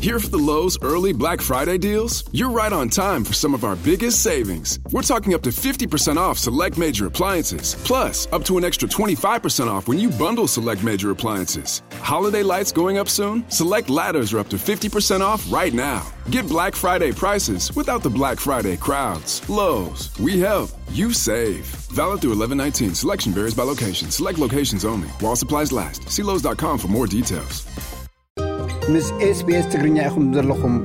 Here for the Lowe's early Black Friday deals? You're right on time for some of our biggest savings. We're talking up to fifty percent off select major appliances, plus up to an extra twenty-five percent off when you bundle select major appliances. Holiday lights going up soon? Select ladders are up to fifty percent off right now. Get Black Friday prices without the Black Friday crowds. Lowe's, we help, you save. Valid through eleven nineteen. Selection varies by location. Select locations only. While supplies last. See Lowe's dot com for more details. ምስ SBS ትግርኛ ኢኹም ዘለኹም።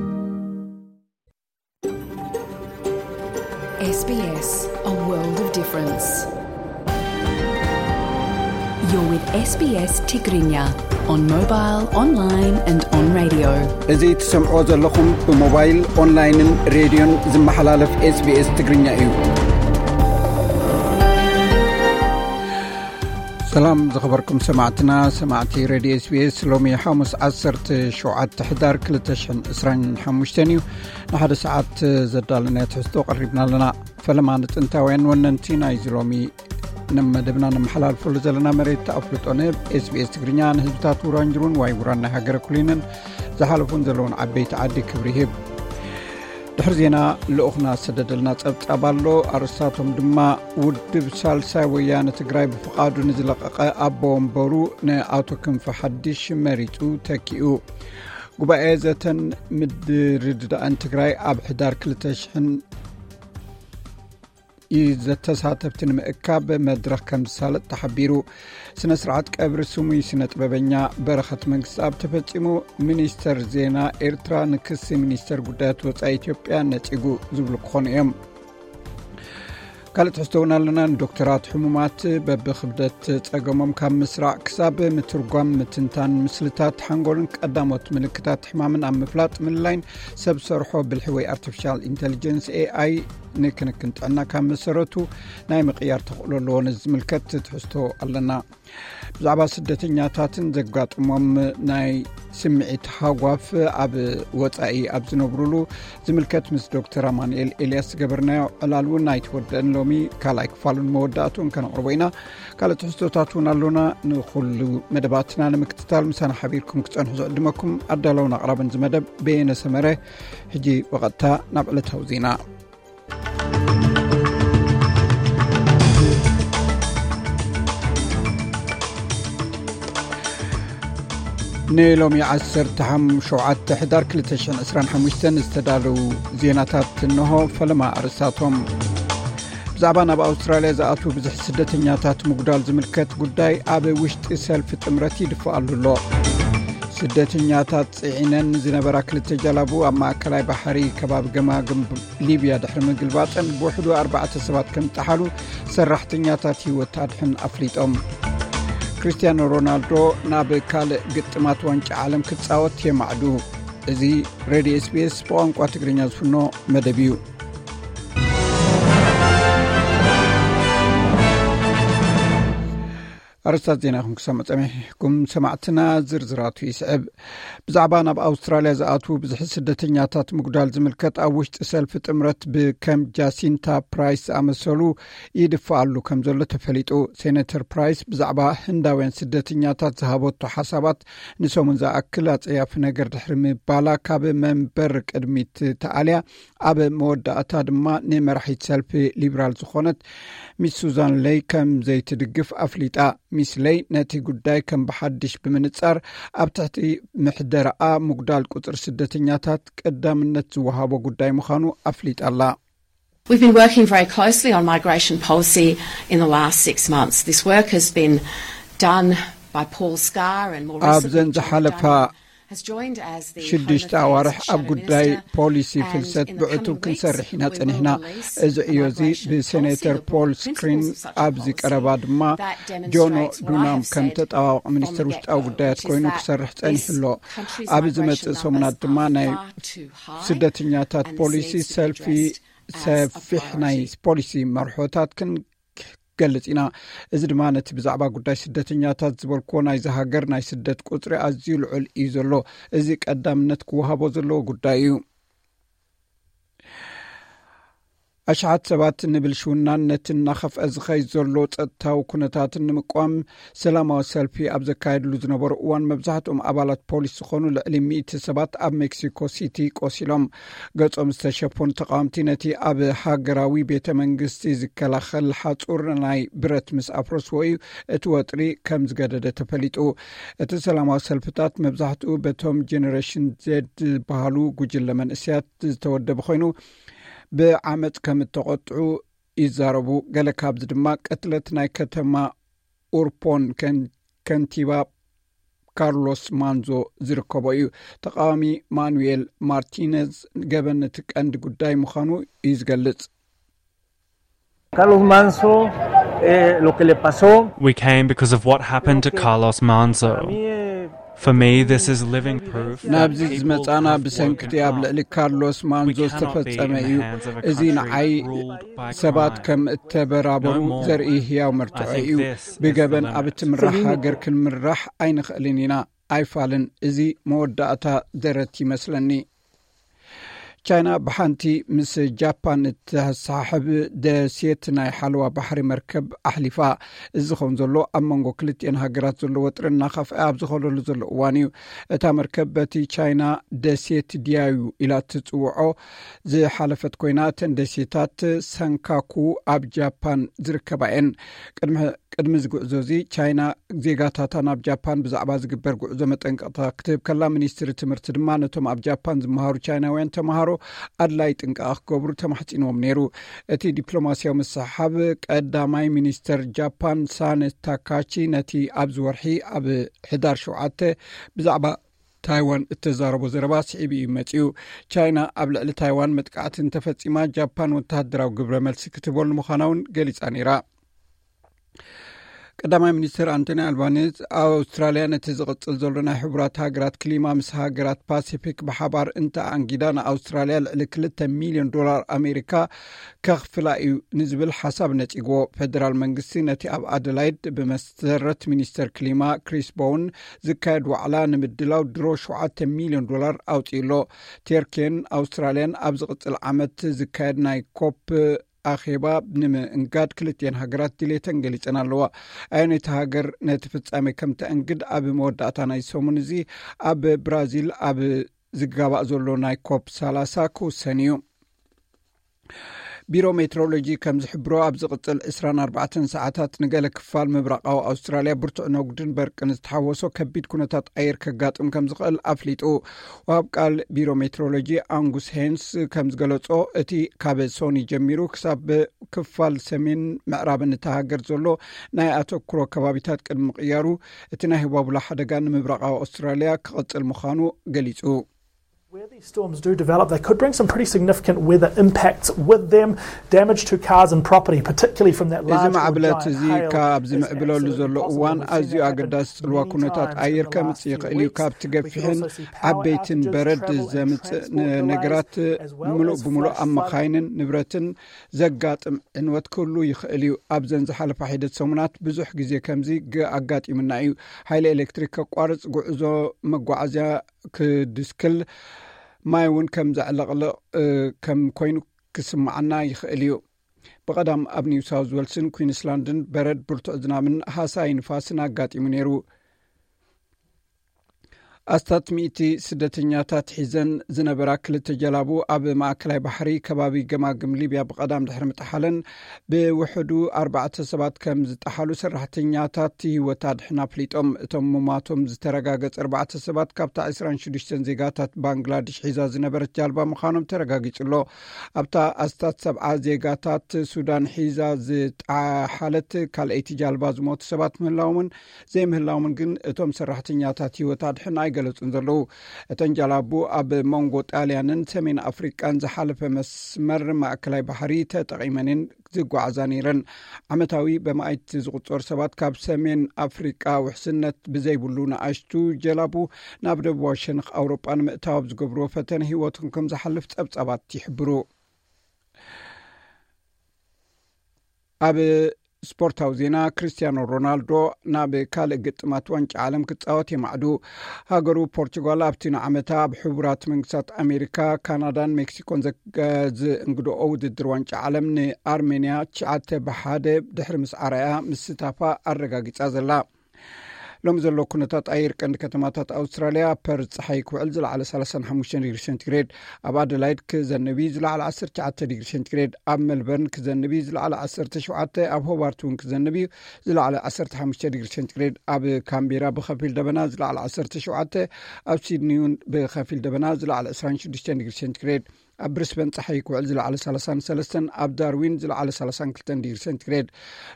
S B S, a world of difference. You're with S B S Tigrinya on mobile, online and on radio. እዚ ትሰምዖ ዘለኹም ብሞባይል፣ ኦንላይንን ሬድዮን ዝመሓላለፍ SBS ትግርኛ እዩ። ሰላም ዝኸበርኩም ሰማዕትና፣ ሰማዕቲ ሬድዮ SBS፣ ሎሚ ሓሙስ ዓሰርተ ሸውዓተ ሕዳር ክልተ ሽሕን ዕስራን ሓሙሽተን እዩ። ንሓደ ሰዓት ዘዳለናዮ ትሕዝቶ ቀሪብና ኣለና። ፈለማ ንጥንታውያን ወነንቲ ናይዚ ሎሚ ንመደብና ነመሓላልፈሉ ዘለና መሬት ኣፍልጦ ንህብ። SBS ትግርኛ ንህዝብታት ውራንጅሩን ዋይ ውራን ናይ ሃገረ ኩሊንን ዝሓለፉን ዘለውን ዓበይቲ ዓዲ ክብሪ ይህብ። ድሕሪ ዜና ልኡኽና ዝሰደደልና ጸብጻብ ኣሎ። ኣርእስታቶም ድማ ውድብ ሳልሳይ ወያነ ትግራይ ብፍቓዱ ንዝለቐቐ ኣቦ ወንበሩ ንኣቶ ክንፈ ሓድሽ መሪጹ ተኪኡ። ጉባኤ ዘተን ምድርድዳእን ትግራይ ኣብ ሕዳር ክልተ ሽሕን እዩ ዘተሳተፍቲ ንምእካብ መድረኽ ከም ዝሳለጥ ተሓቢሩ። ስነ ስርዓት ቀብሪ ስሙይ ስነ ጥበበኛ በረኸት መንግስትኣብ ተፈጺሙ። ሚኒስተር ዜና ኤርትራ ንክሲ ሚኒስተር ጉዳያት ወጻኢ ኢትዮጵያ ነጺጉ ዝብሉ ክኾኑ እዮም። ካልእ ትሕዝቶ እውን ኣለና። ንዶክተራት ሕሙማት በብክብደት ጸገሞም ካብ ምስራዕ ክሳብ ምትርጓም፣ ምትንታን ምስልታት ሓንጎልን ቀዳሞት ምልክታት ሕማምን ኣብ ምፍላጥ ምልላይን ሰብ ሰርሖ ብልሒ ወይ ኣርቲፊሻል ኢንተሊጀንስ፣ ኤኣይ፣ ንክንክን ጥዕና ካብ መሰረቱ ናይ ምቕያር ተኽእሎ ኣለዎ። ነዚ ዝምልከት ትሕዝቶ ኣለና። ብዛዕባ ስደተኛታትን ዘጋጥሞም ናይ ስምዒት ሃጓፍ ኣብ ወጻኢ ኣብ ዝነብሩሉ ዝምልከት ምስ ዶክተር ኣማኑኤል ኤልያስ ዝገበርናዮ ዕላል እውን ኣይተወደአን። ሎሚ ካልኣይ ክፋሉን መወዳእቱን ከነቕርቦ ኢና። ካልእ ትሕዝቶታት እውን ኣሎና። ንኹሉ መደባትና ንምክትታል ምሳና ሓቢርኩም ክጸንሑ ዝዕድመኩም ኣዳለውን ኣቕራብን ዝመደብ በየነ ሰመረ። ሕጂ ብቐጥታ ናብ ዕለታዊ ዜና። ንሎሚ ዓሰርተ ሸውዓተ ሕዳር ክልተ ሽሕን ዕስራን ሓሙሽተን ዝተዳለዉ ዜናታት እንሆ። ፈለማ ኣርእስታቶም። ብዛዕባ ናብ ኣውስትራልያ ዝኣትዉ ብዙሕ ስደተኛታት ምጉዳል ዝምልከት ጉዳይ ኣብ ውሽጢ ሰልፊ ጥምረት ይድፋኣሉ ኣሎ። ስደተኛታት ጽዒነን ዝነበራ ክልተ ጀላቡ ኣብ ማእከላይ ባሕሪ ከባቢ ገማግም ሊብያ ድሕሪ ምግልባጠን ብውሕዱ ኣርባዕተ ሰባት ከም ዝጠሓሉ ሰራሕተኛታት ህይወት ኣድሕን ኣፍሊጦም። ክርስቲያኖ ሮናልዶ ናብ ካልእ ግጥማት ዋንጫ ዓለም ክጻወት የማዕዱ። እዚ ሬድዮ SBS ብቋንቋ ትግርኛ ዝፍኖ መደብ እዩ። ኣርስታት ዜና ኢኹም ክሰምዑ ጸኒሕኩም ሰማዕትና፣ ዝርዝራቱ ይስዕብ። ብዛዕባ ናብ ኣውስትራልያ ዝኣትዉ ብዙሕ ስደተኛታት ምጉዳል ዝምልከት ኣብ ውሽጢ ሰልፊ ጥምረት ብከም ጃሲንታ ፕራይስ ዝኣመሰሉ ይድፋኣሉ ከም ዘሎ ተፈሊጡ። ሴኔተር ፕራይስ ብዛዕባ ህንዳውያን ስደተኛታት ዝሃበቶ ሓሳባት ንሰሙን ዝኣክል ኣጸያፊ ነገር ድሕሪ ምባላ ካብ መንበር ቅድሚት ተኣልያ፣ ኣብ መወዳእታ ድማ ንመራሒት ሰልፊ ሊብራል ዝኾነት ሚስ ሱዛን ለይ ከም ዘይትድግፍ ኣፍሊጣ። ሚስ ለይ ነቲ ጉዳይ ከም ብሓድሽ ብምንጻር ኣብ ትሕቲ ምሕደራኣ ምጉዳል ቁጽሪ ስደተኛታት ቀዳምነት ዝወሃቦ ጉዳይ ምዃኑ ኣፍሊጣ ኣላ። We've been working very closely on migration policy in the last six months. This work has been done by Paul Scar and more ኣብ recently ዘን John ዝሓለፋ Daniel has joined as the Home ሽዱሽተ Affairs ኣዋርሕ ኣብ Shadow ጉዳይ Minister, ፖሊሲ and ፍልሰት in the ብዕቱብ coming weeks ክንሰርሕ ኢና we will ጸኒሕና። release እዚ a ዕዮ እዚ migration ብሴኔተር policy, the ፖል principles ስክሪን of such a ኣብዚ policy ቀረባ ድማ that ጆኖ demonstrates what I ዱናም have ከም said ተጣባቂ from ሚኒስትር the ውሽጣዊ get-go, ጉዳያት which is ኮይኑ that ክሰርሕ this ጸኒሑ ኣሎ። country's ኣብ migration ዝመጽእ ሰሙናት numbers ድማ are ናይ far too high ስደተኛታት and this ፖሊሲ needs to be ሰልፊ addressed as a ሰፊሕ ናይ priority. ፖሊሲ መርሖታት ክንገልጽ ኢና። እዚ ድማ ነቲ ብዛዕባ ጉዳይ ስደተኛታት ዝበልክዎ ናይዚ ሃገር ናይ ስደት ቁጽሪ ኣዝዩ ልዑል እዩ ዘሎ። እዚ ቀዳምነት ክወሃቦ ዘለዎ ጉዳይ እዩ። ኣሽሓት ሰባት ንብልሽውናን ነቲ እናኸፍአ ዝኸይድ ዘሎ ጸጥታዊ ኩነታትን ንምቋም ሰላማዊ ሰልፊ ኣብ ዘካየድሉ ዝነበሩ እዋን፣ መብዛሕትኦም ኣባላት ፖሊስ ዝኾኑ ልዕሊ ሚእቲ ሰባት ኣብ ሜክሲኮ ሲቲ ቆሲሎም። ገጾም ዝተሸፈኑ ተቃወምቲ ነቲ ኣብ ሃገራዊ ቤተ መንግስቲ ዝከላኸል ሓጹር ናይ ብረት ምስ ኣፍረስዎ እዩ እቲ ወጥሪ ከም ዝገደደ ተፈሊጡ። እቲ ሰላማዊ ሰልፍታት መብዛሕትኡ በቶም ጀነሬሽን ዜድ ዝበሃሉ ጉጅለ መንእሰያት ዝተወደበ ኮይኑ፣ ብዓመጽ ከም እተቖጥዑ ይዛረቡ። ገለ ካብዚ ድማ ቅትለት ናይ ከተማ ኡርፖን ከን-፣ ከንቲባ ካርሎስ ማንዞ ዝርከቦ እዩ። ተቃዋሚ ማኑኤል ማርቲነዝ ገበን እቲ ቀንዲ ጉዳይ ምዃኑ እዩ ዝገልጽ። Carlos Manso, eh, lo que le pasó. We came because of what happened to Carlos Manzo. For me, this is living proof that ናብዚ people ዝመጻና have ብሰንክቲ woken ኣብ up. ልዕሊ ካርሎስ We ማንዞ cannot be in ዝተፈጸመ the እዩ። hands of a እዚ country ንዓይ ruled by ሰባት crime. ከም እተበራበሩ No more. ዘርኢ ህያው I መርትዖ think እዩ። this is the ብገበን limit. ኣብ እትምራሕ ሃገር ክንምራሕ ኣይንኽእልን ኢና። ኣይፋልን። እዚ መወዳእታ ደረት ይመስለኒ። ቻይና ብሓንቲ ምስ ጃፓን እተሰሓሕብ ደሴት ናይ ሓለዋ ባሕሪ መርከብ ኣሕሊፋ። እዚ ዝኸውን ዘሎ ኣብ መንጎ ክልቲኤን ሃገራት ዘሎ ወጥሪ እናኸፍአ ኣብ ዝኸደሉ ዘሎ እዋን እዩ። እታ መርከብ በቲ ቻይና ደሴት ዲያዩ ኢላ እትጽውዖ ዝሓለፈት ኮይና፣ እተን ደሴታት ሰንካኩ ኣብ ጃፓን ዝርከባ እየን። ቅድሚ ቅድሚ እዚ ጉዕዞ እዚ ቻይና ዜጋታታ ናብ ጃፓን ብዛዕባ ዝግበር ጉዕዞ መጠንቀቕታ ክትህብ ከላ፣ ሚኒስትሪ ትምህርቲ ድማ ነቶም ኣብ ጃፓን ዝመሃሩ ቻይናውያን ተምሃሮ ኣድላይ ጥንቃቐ ክገብሩ ተማሕጺንዎም ነይሩ። እቲ ዲፕሎማስያዊ ምስሕሓብ ቀዳማይ ሚኒስተር ጃፓን ሳነ ታካቺ ነቲ ኣብዚ ወርሒ ኣብ ሕዳር ሸውዓተ ብዛዕባ ታይዋን እተዛረቦ ዘረባ ስዒቡ እዩ መጺኡ። ቻይና ኣብ ልዕሊ ታይዋን መጥቃዕቲ እንተፈጺማ፣ ጃፓን ወተሃደራዊ ግብረ መልሲ ክትህበሉ ምዃና እውን ገሊጻ ነይራ። ቀዳማይ ሚኒስትር ኣንቶኒ ኣልባኒዝ፣ ኣውስትራልያ ነቲ ዝቕጽል ዘሎ ናይ ሕቡራት ሃገራት ክሊማ ምስ ሃገራት ፓሲፊክ ብሓባር እንተኣንጊዳ፣ ንኣውስትራልያ ልዕሊ ክልተ ሚልዮን ዶላር ኣሜሪካ ከኽፍላ እዩ ንዝብል ሓሳብ ነጺግዎ። ፈደራል መንግስቲ ነቲ ኣብ ኣደላይድ ብመሰረት ሚኒስተር ክሊማ ክሪስ ቦውን ዝካየድ ዋዕላ ንምድላው ድሮ ሸውዓተ ሚልዮን ዶላር ኣውጺኡ ኣሎ። ቴርኬን ኣውስትራልያን ኣብ ዝቕጽል ዓመት ዝካየድ ናይ ኮፕ ኣኼባ ንምእንጋድ ክልቲኤን ሃገራት ድሌተን ገሊጸን ኣለዋ። ኣየነይቲ ሃገር ነቲ ፍጻሜ ከም ተእንግድ ኣብ መወዳእታ ናይ ሰሙን እዚ ኣብ ብራዚል ኣብ ዝጋባእ ዘሎ ናይ ኮፕ ሰላሳ ክውሰን እዩ። ቢሮ ሜትሮሎጂ ከም ዝሕብሮ፣ ኣብ ዝቕጽል ዕስራን ኣርባዕተን ሰዓታት ንገለ ክፋል ምብራቓዊ ኣውስትራልያ ብርቱዕ ነጉድን በርቅን ዝተሓወሶ ከቢድ ኩነታት ኣየር ከጋጥም ከም ዝኽእል ኣፍሊጡ። ወሃብ ቃል ቢሮ ሜትሮሎጂ ኣንጉስ ሄንስ ከም ዝገለጾ፣ እቲ ካብ ሶኒ ጀሚሩ ክሳብ ክፋል ሰሜን ምዕራብን እታ ሃገር ዘሎ ናይ ኣተኩሮ ከባቢታት ቅድሚ ምቕያሩ፣ እቲ ናይ ህዋቡላ ሓደጋ ንምብራቓዊ ኣውስትራልያ ክቕጽል ምዃኑ ገሊጹ። Where these storms do develop, they could bring some pretty significant weather impacts with them, damage to cars and property, particularly from that እዚ large or ማዕብለት giant እዚ hail ካብ is ዝምዕብለሉ absolutely ዘሎ possible. እዋን We've seen ኣዝዩ that ኣገዳሲ happen ጽልዋ many ኩነታት times ኣየር in the ከምጽእ last few ይኽእል እዩ። weeks. ካብቲ We could ገፊሕን also see power ዓበይትን outages, በረድ travel and ዘምጽእ transport delays, ነገራት as well as ምሉእ ብምሉእ flash ኣብ flooding. መኻይንን ንብረትን ዘጋጥም ዕንወት ክህሉ ይኽእል እዩ። ኣብዘን ዝሓለፋ ሒደት ሰሙናት ብዙሕ ግዜ ከምዚ ግ-፣ ኣጋጢሙና እዩ። ሓይሊ ኤሌክትሪክ ከቋርጽ፣ ጉዕዞ መጓዓዝያ ክድስክል፣ ማይ እውን ከም ዘዕለቕልቕ፣ እ፣ ከም ኮይኑ ክስምዓና ይኽእል እዩ። ብቐዳም ኣብ ኒው ሳውዝ ዌልስን ኩዊንስላንድን በረድ፣ ብርቱዕ ዝናብን ሃሳይ ንፋስን ኣጋጢሙ ነይሩ። ኣስታት ሚእቲ ስደተኛታት ሒዘን ዝነበራ ክልተ ጀላቡ ኣብ ማእከላይ ባሕሪ ከባቢ ገማግም ሊብያ ብቐዳም ድሕሪ ምጥሓለን፣ ብውሕዱ ኣርባዕተ ሰባት ከም ዝጠሓሉ ሰራሕተኛታት ህይወት ኣድሕን ኣፍሊጦም። እቶም ሙማቶም ዝተረጋገጸ ኣርባዕተ ሰባት ካብታ ዕስራን ሽዱሽተን ዜጋታት ባንግላድሽ ሒዛ ዝነበረት ጃልባ ምዃኖም ተረጋጊጹ ኣሎ። ኣብታ ኣስታት ሰብዓ ዜጋታት ሱዳን ሒዛ ዝጠሓለት ካልኣይቲ ጃልባ ዝሞቱ ሰባት ምህላዎምን ዘይምህላዎምን ግን እቶም ሰራሕተኛታት ህይወት ኣድሕን ኣይገለጹን ዘለዉ። እተን ጃላቡ ኣብ መንጎ ጣልያንን ሰሜን ኣፍሪቃን ዝሓለፈ መስመር ማእከላይ ባሕሪ ተጠቒመን እየን ዝጓዓዛ ነይረን። ዓመታዊ በማእቲ ዝቑጸሩ ሰባት ካብ ሰሜን ኣፍሪቃ ውሕስነት ብዘይብሉ ንኣሽቱ ጀላቡ ናብ ደቡባዊ ሸነኽ ኣውሮጳ ንምእታው ኣብ ዝገብርዎ ፈተነ ህይወቶም ከም ዝሓልፍ ጸብጻባት ይሕብሩ። ኣብ ስፖርታዊ ዜና። ክርስቲያኖ ሮናልዶ ናብ ካልእ ግጥማት ዋንጫ ዓለም ክጻወት የማዕዱ። ሃገሩ ፖርቹጋል ኣብቲ ንዓመታ ኣብ ሕቡራት መንግስታት ኣሜሪካ፣ ካናዳን ሜክሲኮን ዘ-፣ ዝእንግድኦ ውድድር ዋንጫ ዓለም ንኣርሜንያ ትሽዓተ ብሓደ ድሕሪ ምስዓራያ ምስታፋ ኣረጋጊጻ ዘላ። ሎሚ ዘሎ ኩነታት ኣየር ቀንዲ ከተማታት ኣውስትራልያ፣ ፐርዝ ጸሓይ ክውዕል ዝለዓለ ሰላሳን ሓሙሽተን ዲግሪ ሴንቲግሬድ፣ ኣብ ኣደላይድ ክዘንብ እዩ ዝለዓለ ዓሰርተ ትሽዓተ ዲግሪ ሴንቲግሬድ፣ ኣብ ሜልበርን ክዘንብ እዩ ዝለዓለ ዓሰርተ ሸውዓተ፣ ኣብ ሆባርት እውን ክዘንብ እዩ ዝለዓለ ዓሰርተ ሓሙሽተ ዲግሪ ሴንቲግሬድ፣ ኣብ ካምቤራ ብኸፊል ደበና ዝለዓለ ዓሰርተ ሸውዓተ፣ ኣብ ሲድኒ እውን ብኸፊል ደበና ዝለዓለ ዕስራን ሽዱሽተን ዲግሪ ሴንቲግሬድ፣ ኣብ ብሪስበን ጸሓይ ክውዕል ዝለዓለ ሰላሳን ሰለስተን፣ ኣብ ዳርዊን ዝለዓለ ሰላሳን ክልተን ዲግሪ ሴንቲግሬድ።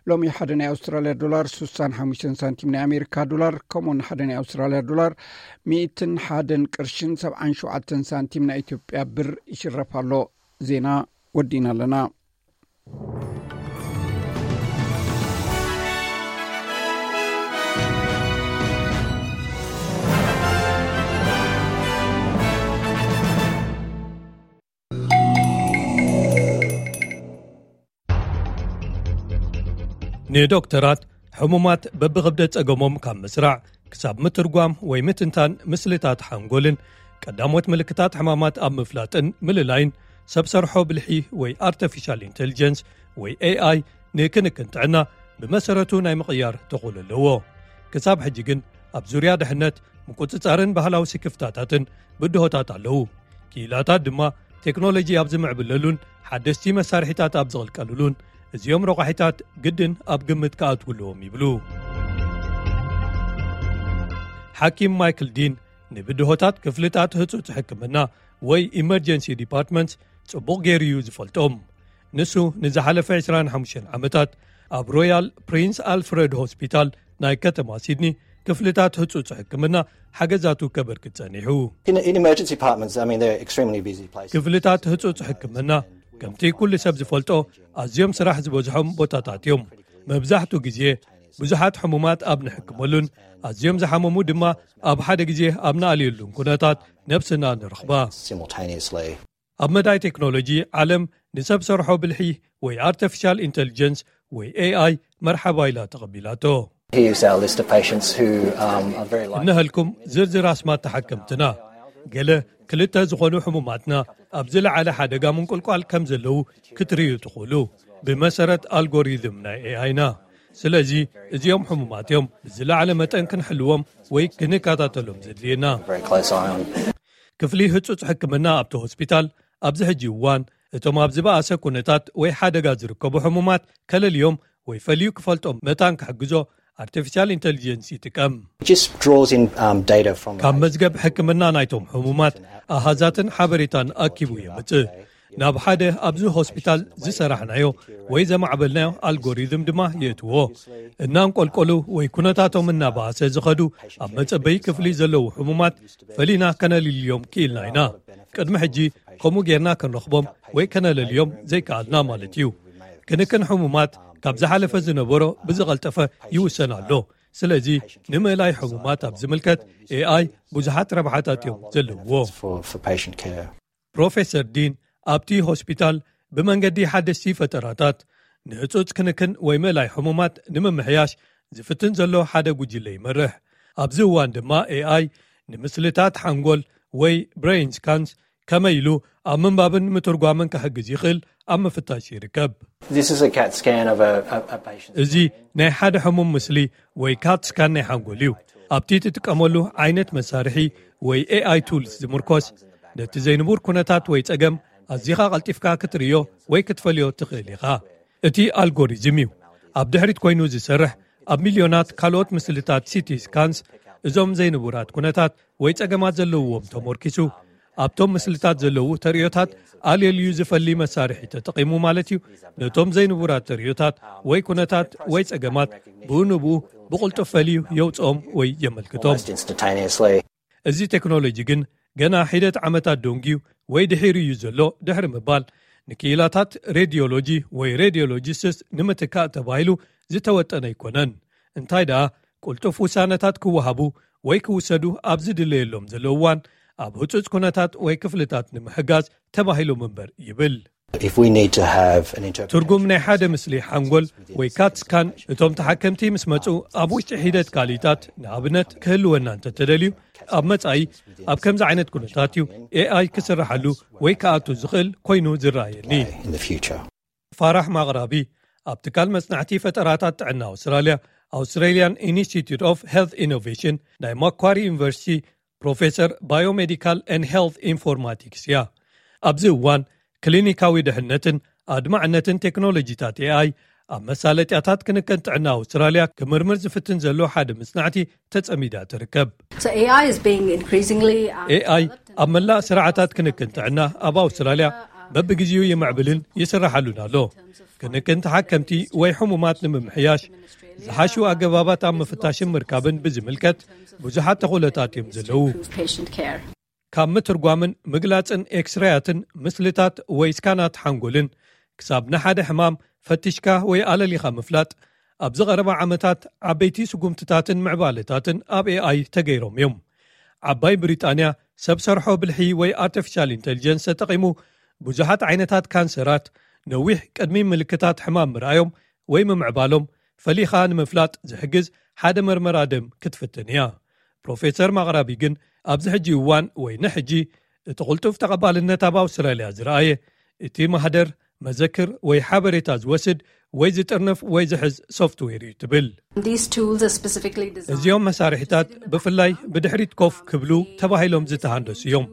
ሎሚ ሓደ ናይ ኣውስትራልያ ዶላር ስሳን ሓሙሽተን ሳንቲም ናይ ኣሜሪካ ዶላር፣ ከምኡውን ሓደ ናይ ኣውስትራልያ ዶላር ሚእትን ሓደን ቅርሽን ሰብዓን ሸውዓተን ሳንቲም ናይ ኢትዮጵያ ብር ይሽረፍ ኣሎ። ዜና ወዲእና ኣለና። ንዶክተራት፣ ሕሙማት በብኽብደት ጸገሞም ካብ ምስራዕ ክሳብ ምትርጓም ወይ ምትንታን ምስልታት ሓንጎልን ቀዳሞት ምልክታት ሕማማት ኣብ ምፍላጥን ምልላይን ሰብ ሰርሖ ብልሒ ወይ ኣርቲፊሻል ኢንተሊጀንስ ወይ ኤ ኣይ ንክንክን ጥዕና ብመሰረቱ ናይ ምቕያር ተኽእሎ ኣለዎ። ክሳብ ሕጂ ግን ኣብ ዙርያ ድሕነት፣ ምቁጽጻርን ባህላዊ ስክፍታታትን ብድሆታት ኣለዉ። ክኢላታት ድማ ቴክኖሎጂ ኣብ ዝምዕብለሉን ሓደስቲ መሳርሒታት ኣብ ዝቕልቀልሉን እዚኦም ረቋሒታት ግድን ኣብ ግምት ክኣትዉ ኣለዎም ይብሉ። ሓኪም ማይክል ዲን ንብድሆታት ክፍልታት ህጹጽ ሕክምና ወይ ኢመርጀንሲ ዲፓርትመንት ጽቡቕ ገይሩ እዩ ዝፈልጦም። ንሱ ንዝሓለፈ ዕስራን ሓሙሽተን ዓመታት ኣብ ሮያል ፕሪንስ ኣልፍረድ ሆስፒታል ናይ ከተማ ሲድኒ ክፍልታት ህጹጽ ሕክምና ሓገዛቱ ከበርክት ጸኒሑ። In, in emergency departments, I mean, they're extremely busy places. ክፍልታት ህጹጽ ሕክምና ከምቲ ኩሉ ሰብ ዝፈልጦ ኣዝዮም ስራሕ ዝበዝሖም ቦታታት እዮም። መብዛሕቱ ግዜ ብዙሓት ሕሙማት ኣብ ንሕክመሉን ኣዝዮም ዝሓመሙ ድማ ኣብ ሓደ ግዜ ኣብ ንኣልየሉን ኩነታት ነብስና ንረኽባ። Simultaneously. ኣብ መዳይ ቴክኖሎጂ፣ ዓለም ንሰብ ሰርሖ ብልሒ ወይ ኣርቲፊሻል ኢንተሊጀንስ ወይ ኤ ኣይ መርሓባ ኢላ ተቐቢላቶ። Here's our list of patients who, um, are very likely እንሀልኩም ዝርዝር ኣስማት ተሓከምትና። ገለ ክልተ ዝኾኑ ሕሙማትና ኣብ ዝለዓለ ሓደጋ ምንቁልቋል ከም ዘለዉ ክትርእዩ ትኽእሉ፣ ብመሰረት ኣልጎሪዝም ናይ ኤ ኣይና። ስለዚ እዚኦም ሕሙማት እዮም፣ ብዝለዓለ መጠን ክንሕልዎም ወይ ክንከታተሎም ዘድልየና። Very close eye on. ክፍሊ ህጹጽ ሕክምና ኣብቲ ሆስፒታል ኣብዚ ሕጂ እዋን እቶም ኣብ ዝበኣሰ ኩነታት ወይ ሓደጋ ዝርከቡ ሕሙማት ከለልዮም ወይ ፈልዩ ክፈልጦም መታን ክሕግዞ ኣርቲፊሻል ኢንተሊጀንስ ይጥቀም። It just draws in, um, data from ካብ መዝገብ ሕክምና ናይቶም ሕሙማት ኣሃዛትን ሓበሬታን ኣኪቡ የምጽእ። ናብ ሓደ ኣብዚ ሆስፒታል ዝሰራሕናዮ ወይ ዘማዕበልናዮ ኣልጎሪዝም ድማ የእትዎ። እናንቆልቆሉ ወይ ኩነታቶም እናባእሰ ዝኸዱ ኣብ መጸበዪ ክፍሊ ዘለዉ ሕሙማት ፈሊና ከነልልዮም ክኢልና ኢና። ቅድሚ ሕጂ ከምኡ ጌርና ክንረኽቦም ወይ ከነለልዮም ዘይከኣልና ማለት እዩ። ክንክን ሕሙማት ካብ ዝሓለፈ ዝነበሮ ብዝቐልጠፈ ይውሰን ኣሎ። ስለዚ ንምእላይ ሕሙማት ኣብ ዝምልከት ኤ ኣይ ብዙሓት ረብሓታት እዮም ዘለውዎ። For, for patient care. ፕሮፌሰር ዲን ኣብቲ ሆስፒታል ብመንገዲ ሓደስቲ ፈጠራታት ንህጹጽ ክንክን ወይ ምእላይ ሕሙማት ንምምሕያሽ ዝፍትን ዘሎ ሓደ ጉጅለ ይመርሕ። ኣብዚ እዋን ድማ ኤ ኣይ ንምስልታት ሓንጎል ወይ ብሬን ስካንስ ከመይ ኢሉ ኣብ ምንባብን ምትርጓምን ክሕግዝ ይኽእል ኣብ ምፍታሽ ይርከብ። This is a cat scan of a, a, a patient. እዚ ናይ ሓደ ሕሙም ምስሊ ወይ ካት ስካን ናይ ሓንጎል እዩ። ኣብቲ ትጥቀመሉ ዓይነት መሳርሒ ወይ ኤ ኣይ ቱልስ ዝምርኮስ፣ ነቲ ዘይንቡር ኩነታት ወይ ጸገም ኣዚኻ ቀልጢፍካ ክትርእዮ ወይ ክትፈልዮ ትኽእል ኢኻ። እቲ ኣልጎሪዝም እዩ ኣብ ድሕሪት ኮይኑ ዝሰርሕ። ኣብ ሚልዮናት ካልኦት ምስልታት ሲቲ ስካንስ እዞም ዘይንቡራት ኩነታት ወይ ጸገማት ዘለውዎም ተመርኪሱ፣ ኣብቶም ምስልታት ዘለዉ ተርእዮታት ኣልየልዩ ዝፈሊ መሳርሒ ተጠቒሙ ማለት እዩ። ነቶም ዘይንቡራት ተርእዮታት ወይ ኩነታት ወይ ጸገማት ብኡ ንብኡ ብቕልጡፍ ፈልዩ የውጽኦም ወይ የመልክቶም። Almost instantaneously. እዚ ቴክኖሎጂ ግን ገና ሒደት ዓመታት ደንጉዩ ወይ ድሒሩ እዩ ዘሎ ድሕሪ ምባል፣ ንክኢላታት ሬድዮሎጂ ወይ ሬድዮሎጂስትስ ንምትካእ ተባሂሉ ዝተወጠነ ኣይኮነን። እንታይ ደኣ፣ ቅልጡፍ ውሳነታት ክወሃቡ ወይ ክውሰዱ ኣብ ዝድለየሎም ዘሎ እዋን፣ ኣብ ህጹጽ ኩነታት ወይ ክፍልታት ንምሕጋዝ ተባሂሎም እምበር ይብል። If we need to have an interpretation ትርጉም ናይ ሓደ ምስሊ ሓንጎል ወይ ካት ስካን እቶም ተሓከምቲ ምስ መጹ ኣብ ውሽጢ ሒደት ካልኢታት ንኣብነት ክህልወና እንተተደልዩ ኣብ መጻኢ ኣብ ከምዚ ዓይነት ኩነታት እዩ ኤኣይ ክስርሓሉ ወይ ክኣቱ ዝኽእል ኮይኑ ዝረኣየኒ። In the future. ፋራሕ ማቕራቢ ኣብ ትካል መጽናዕቲ ፈጠራታት ጥዕና ኣውስትራልያ Australian Institute of Health Innovation ናይ ማኳሪ ዩኒቨርሲቲ ፕሮፌሰር Biomedical and Health Informatics እያ። ኣብዚ እዋን ክሊኒካዊ ድሕነትን ኣድማዕነትን ቴክኖሎጂታት ኤኣይ ኣብ መሳለጥያታት ክንክን ጥዕና ኣውስትራልያ ክምርምር ዝፍትን ዘሎ ሓደ መጽናዕቲ ተጸሚዳ ትርከብ። So A I is being increasingly um, ኤኣይ ኣብ መላእ ስርዓታት ክንክን ጥዕና ኣብ ኣውስትራልያ በብግዜኡ ይምዕብልን ይስራሓሉን ኣሎ። ክንክን ተሓከምቲ ወይ ሕሙማት ንምምሕያሽ ዝሓሹ ኣገባባት ኣብ ምፍታሽን ምርካብን ብዝምልከት ብዙሓት ተኽእሎታት እዮም ዘለዉ። Patient care. ካብ ምትርጓምን ምግላጽን ኤክስራያትን ምስልታት ወይ ስካናት ሓንጎልን ክሳብ ንሓደ ሕማም ፈቲሽካ ወይ ኣለሊኻ ምፍላጥ ኣብዚ ቐረባ ዓመታት ዓበይቲ ስጉምትታትን ምዕባለታትን ኣብ ኤኣይ ተገይሮም እዮም። ዓባይ ብሪጣንያ ሰብ ሰርሖ ብልሒ ወይ ኣርቲፊሻል ኢንተሊጀንስ ተጠቒሙ ብዙሓት ዓይነታት ካንሰራት ነዊሕ ቅድሚ ምልክታት ሕማም ምርኣዮም ወይ ምምዕባሎም ፈሊኻ ንምፍላጥ ዝሕግዝ ሓደ መርመራ ደም ክትፍትን እያ። ፕሮፌሰር ማቕራቢ ግን ኣብዚ ሕጂ እዋን ወይ ንሕጂ እቲ ቕልጡፍ ተቐባልነት ኣብ ኣውስትራልያ ዝረኣየ እቲ ማህደር መዘክር ወይ ሓበሬታ ዝወስድ ወይ ዝጥርንፍ ወይ ዝሕዝ ሶፍትዌር እዩ ትብል። These tools are specifically designed እዚኦም መሳርሒታት ብፍላይ ብድሕሪት ኮፍ ክብሉ ተባሂሎም ዝተሃንደሱ እዮም።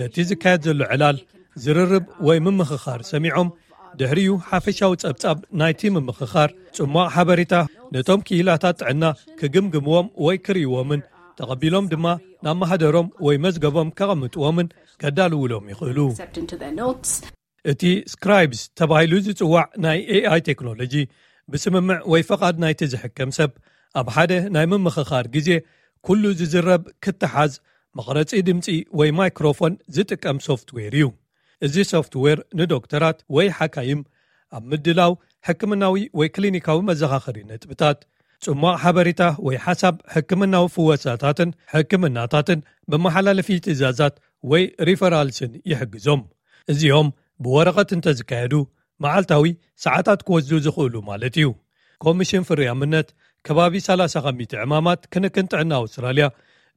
ነቲ ዝካየድ ዘሎ ዕላል ዝርርብ ወይ ምምኽኻር ሰሚዖም ድሕሪኡ ሓፈሻዊ ጸብጻብ ናይቲ ምምኽኻር ጽሟቕ ሓበሬታ ነቶም ክኢላታት ጥዕና ክግምግምዎም ወይ ክርእይዎምን ተቐቢሎም ድማ ናብ ማህደሮም ወይ መዝገቦም ከቐምጥዎምን ከዳልውሎም ይኽእሉ። accept into their notes. እቲ ስክራይብስ ተባሂሉ ዝጽዋዕ ናይ ኤኣይ ቴክኖሎጂ ብስምምዕ ወይ ፈቓድ ናይቲ ዝሕከም ሰብ ኣብ ሓደ ናይ ምምኽኻር ግዜ ኩሉ ዝዝረብ ክተሓዝ መቕረጺ ድምጺ ወይ ማይክሮፎን ዝጥቀም ሶፍትዌር እዩ። እዚ ሶፍትዌር ንዶክተራት ወይ ሓካይም ኣብ ምድላው ሕክምናዊ ወይ ክሊኒካዊ መዘኻኸሪ ነጥብታት ጽሟቕ ሓበሬታ ወይ ሓሳብ ሕክምናዊ ፍወሳታትን ሕክምናታትን ብመሓላለፊ ትእዛዛት ወይ ሪፈራልስን ይሕግዞም። እዚኦም ብወረቐት እንተዝካየዱ መዓልታዊ ሰዓታት ክወስዱ ዝኽእሉ ማለት እዩ። ኮሚሽን ፍርያምነት ከባቢ ሰላሳ ከሚቲ ዕማማት ክንክን ጥዕና ኣውስትራልያ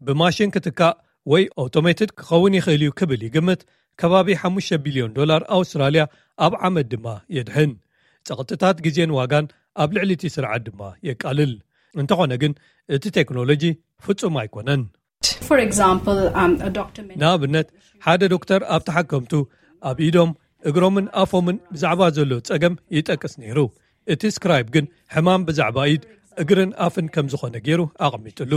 ብማሽን ክትካእ ወይ ኣውቶሜትድ ክኸውን ይኽእል እዩ ክብል ይግምት። ከባቢ ሓሙሽተ ቢልዮን ዶላር ኣውስትራልያ ኣብ ዓመት ድማ የድሕን። ጸቕጥታት ግዜን ዋጋን ኣብ ልዕሊ እቲ ስርዓት ድማ የቃልል። እንተኾነ ግን እቲ ቴክኖሎጂ ፍጹም ኣይኮነን። For example, um, a doctor mentioned ንኣብነት ሓደ ዶክተር ኣብ ተሓከምቱ ኣብ ኢዶም እግሮምን ኣፎምን ብዛዕባ ዘሎ ጸገም ይጠቅስ ነይሩ። እቲ ስክራይብ ግን ሕማም ብዛዕባ ኢድ እግርን ኣፍን ከም ዝኾነ ገይሩ ኣቐሚጥሉ።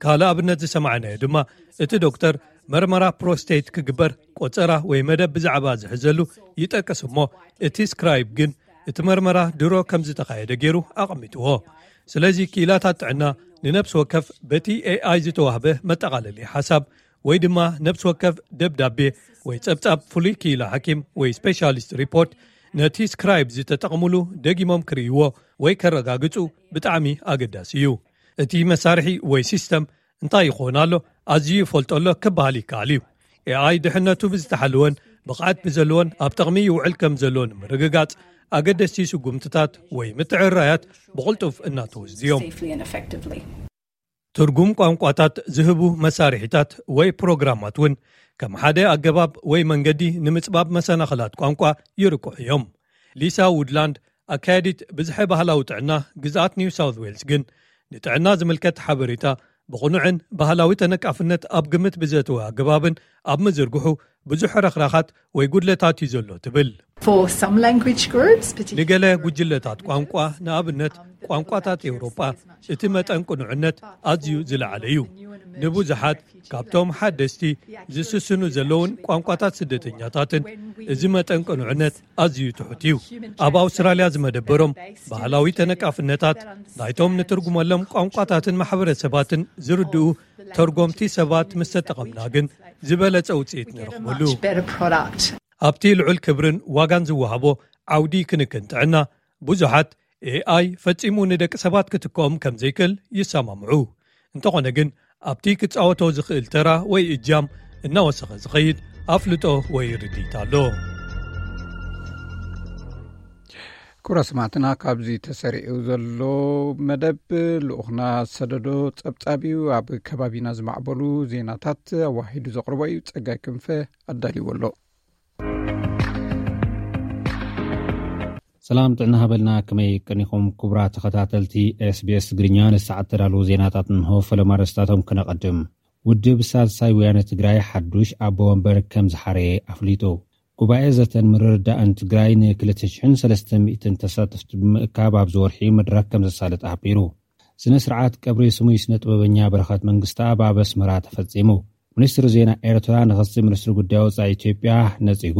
ካልእ ኣብነት ዝሰማዕናዮ ድማ እቲ ዶክተር መርመራ ፕሮስቴት ክግበር ቆጸራ ወይ መደብ ብዛዕባ ዝሕዘሉ ይጠቅስ እሞ እቲ ስክራይብ ግን እቲ መርመራ ድሮ ከም ዝተኻየደ ገይሩ ኣቐሚጥዎ። ስለዚ ክኢላታት ጥዕና ንነብሲ ወከፍ በቲ ኤኣይ ዝተዋህበ መጠቓለሊ ሓሳብ ወይ ድማ ነብሲ ወከፍ ደብዳቤ ወይ ጸብጻብ ፍሉይ ክኢላ ሓኪም ወይ ስፔሻሊስት ሪፖርት ነቲ ስክራይብ ዝተጠቕምሉ ደጊሞም ክርእይዎ ወይ ከረጋግጹ ብጣዕሚ ኣገዳሲ እዩ። እቲ መሳርሒ ወይ ሲስተም እንታይ ይኾን ኣሎ ኣዝዩ ይፈልጦ ኣሎ ክበሃል ይከኣል እዩ። ኤኣይ ድሕነቱ ብዝተሓለወን ብቕዓት ብዘለዎን ኣብ ጥቕሚ ይውዕል ከም ዘሎ ንምርግጋጽ ኣገደስቲ ስጉምትታት ወይ ምትዕራያት ብቕልጡፍ እናተወስዱ እዮም። Safely and effectively. ትርጉም ቋንቋታት ዝህቡ መሳርሒታት ወይ ፕሮግራማት እውን ከም ሓደ ኣገባብ ወይ መንገዲ ንምጽባብ መሰናኽላት ቋንቋ ይርቅሑ እዮም። ሊሳ ውድላንድ ኣካያዲት ብዝሐ ባህላዊ ጥዕና ግዝኣት ኒው ሳውት ዌልስ ግን ንጥዕና ዝምልከት ሓበሬታ ብቕኑዕን ባህላዊ ተነቃፍነት ኣብ ግምት ብዘተወ ኣገባብን ኣብ ምዝርግሑ ብዙሕ ረኽራኻት ወይ ጉድለታት እዩ ዘሎ ትብል። For some language groups, particularly ንገለ ጉጅለታት ቋንቋ ንኣብነት ቋንቋታት ኤውሮጳ እቲ መጠን ቅኑዕነት ኣዝዩ ዝለዓለ እዩ። ንብዙሓት ካብቶም ሓደስቲ ዝስስኑ ዘለውን ቋንቋታት ስደተኛታትን እዚ መጠን ቅኑዕነት ኣዝዩ ትሑት እዩ። ኣብ ኣውስትራልያ ዝመደበሮም ባህላዊ ተነቃፍነታት ናይቶም ንትርጉመሎም ቋንቋታትን ማሕበረሰባትን ዝርድኡ ተርጎምቲ ሰባት ምስ ተጠቐምና ግን ዝበለጸ ውጽኢት ንረኽበሉ። Much better product. ኣብቲ ልዑል ክብርን ዋጋን ዝወሃቦ ዓውዲ ክንክን ጥዕና ብዙሓት ኤኣይ ፈጺሙ ንደቂ ሰባት ክትክኦም ከም ዘይክእል ይሰማምዑ። እንተኾነ ግን ኣብቲ ክጻወቶ ዝኽእል ተራ ወይ እጃም እናወሰኸ ዝኸይድ ኣፍልጦ ወይ ርድኢት ኣሎ። ክቡራት ሰማዕትና፣ ካብዚ ተሰሪዑ ዘሎ መደብ ልኡኽና ዝሰደዶ ጸብጻብ እዩ። ኣብ ከባቢና ዝማዕበሉ ዜናታት ኣዋሂዱ ዘቕርቦ እዩ። ጸጋይ ክንፈ ኣዳልዎ ኣሎ። ሰላም ጥዕና ሃበልና፣ ከመይ ቀኒኹም ክቡራት ተኸታተልቲ ኤስቢኤስ ትግርኛ? ንሰዓት ተዳለዉ ዜናታት እንሆ። ፈለማ ኣርእስታቶም ክነቐድም። ውድብ ሳልሳይ ወያነ ትግራይ ሓዱሽ ኣቦ ወንበር ከም ዝሓረየ ኣፍሊጡ። ጉባኤ ዘተን ምርድዳእን ትግራይ ንክልተ ሽሕን ሰለስተ ሚእትን ተሳተፍቲ ብምእካብ ኣብዚ ወርሒ መድረኽ ከም ዘሳልጥ ኣሕቢሩ። ስነ ስርዓት ቀብሪ ስሙይ ስነ ጥበበኛ በረኸት መንግስተኣብ ኣብ ኣስመራ ተፈጺሙ። ሚኒስትሪ ዜና ኤርትራ ንኽሲ ሚኒስትሪ ጉዳይ ወጻኢ ኢትዮጵያ ነጺጉ።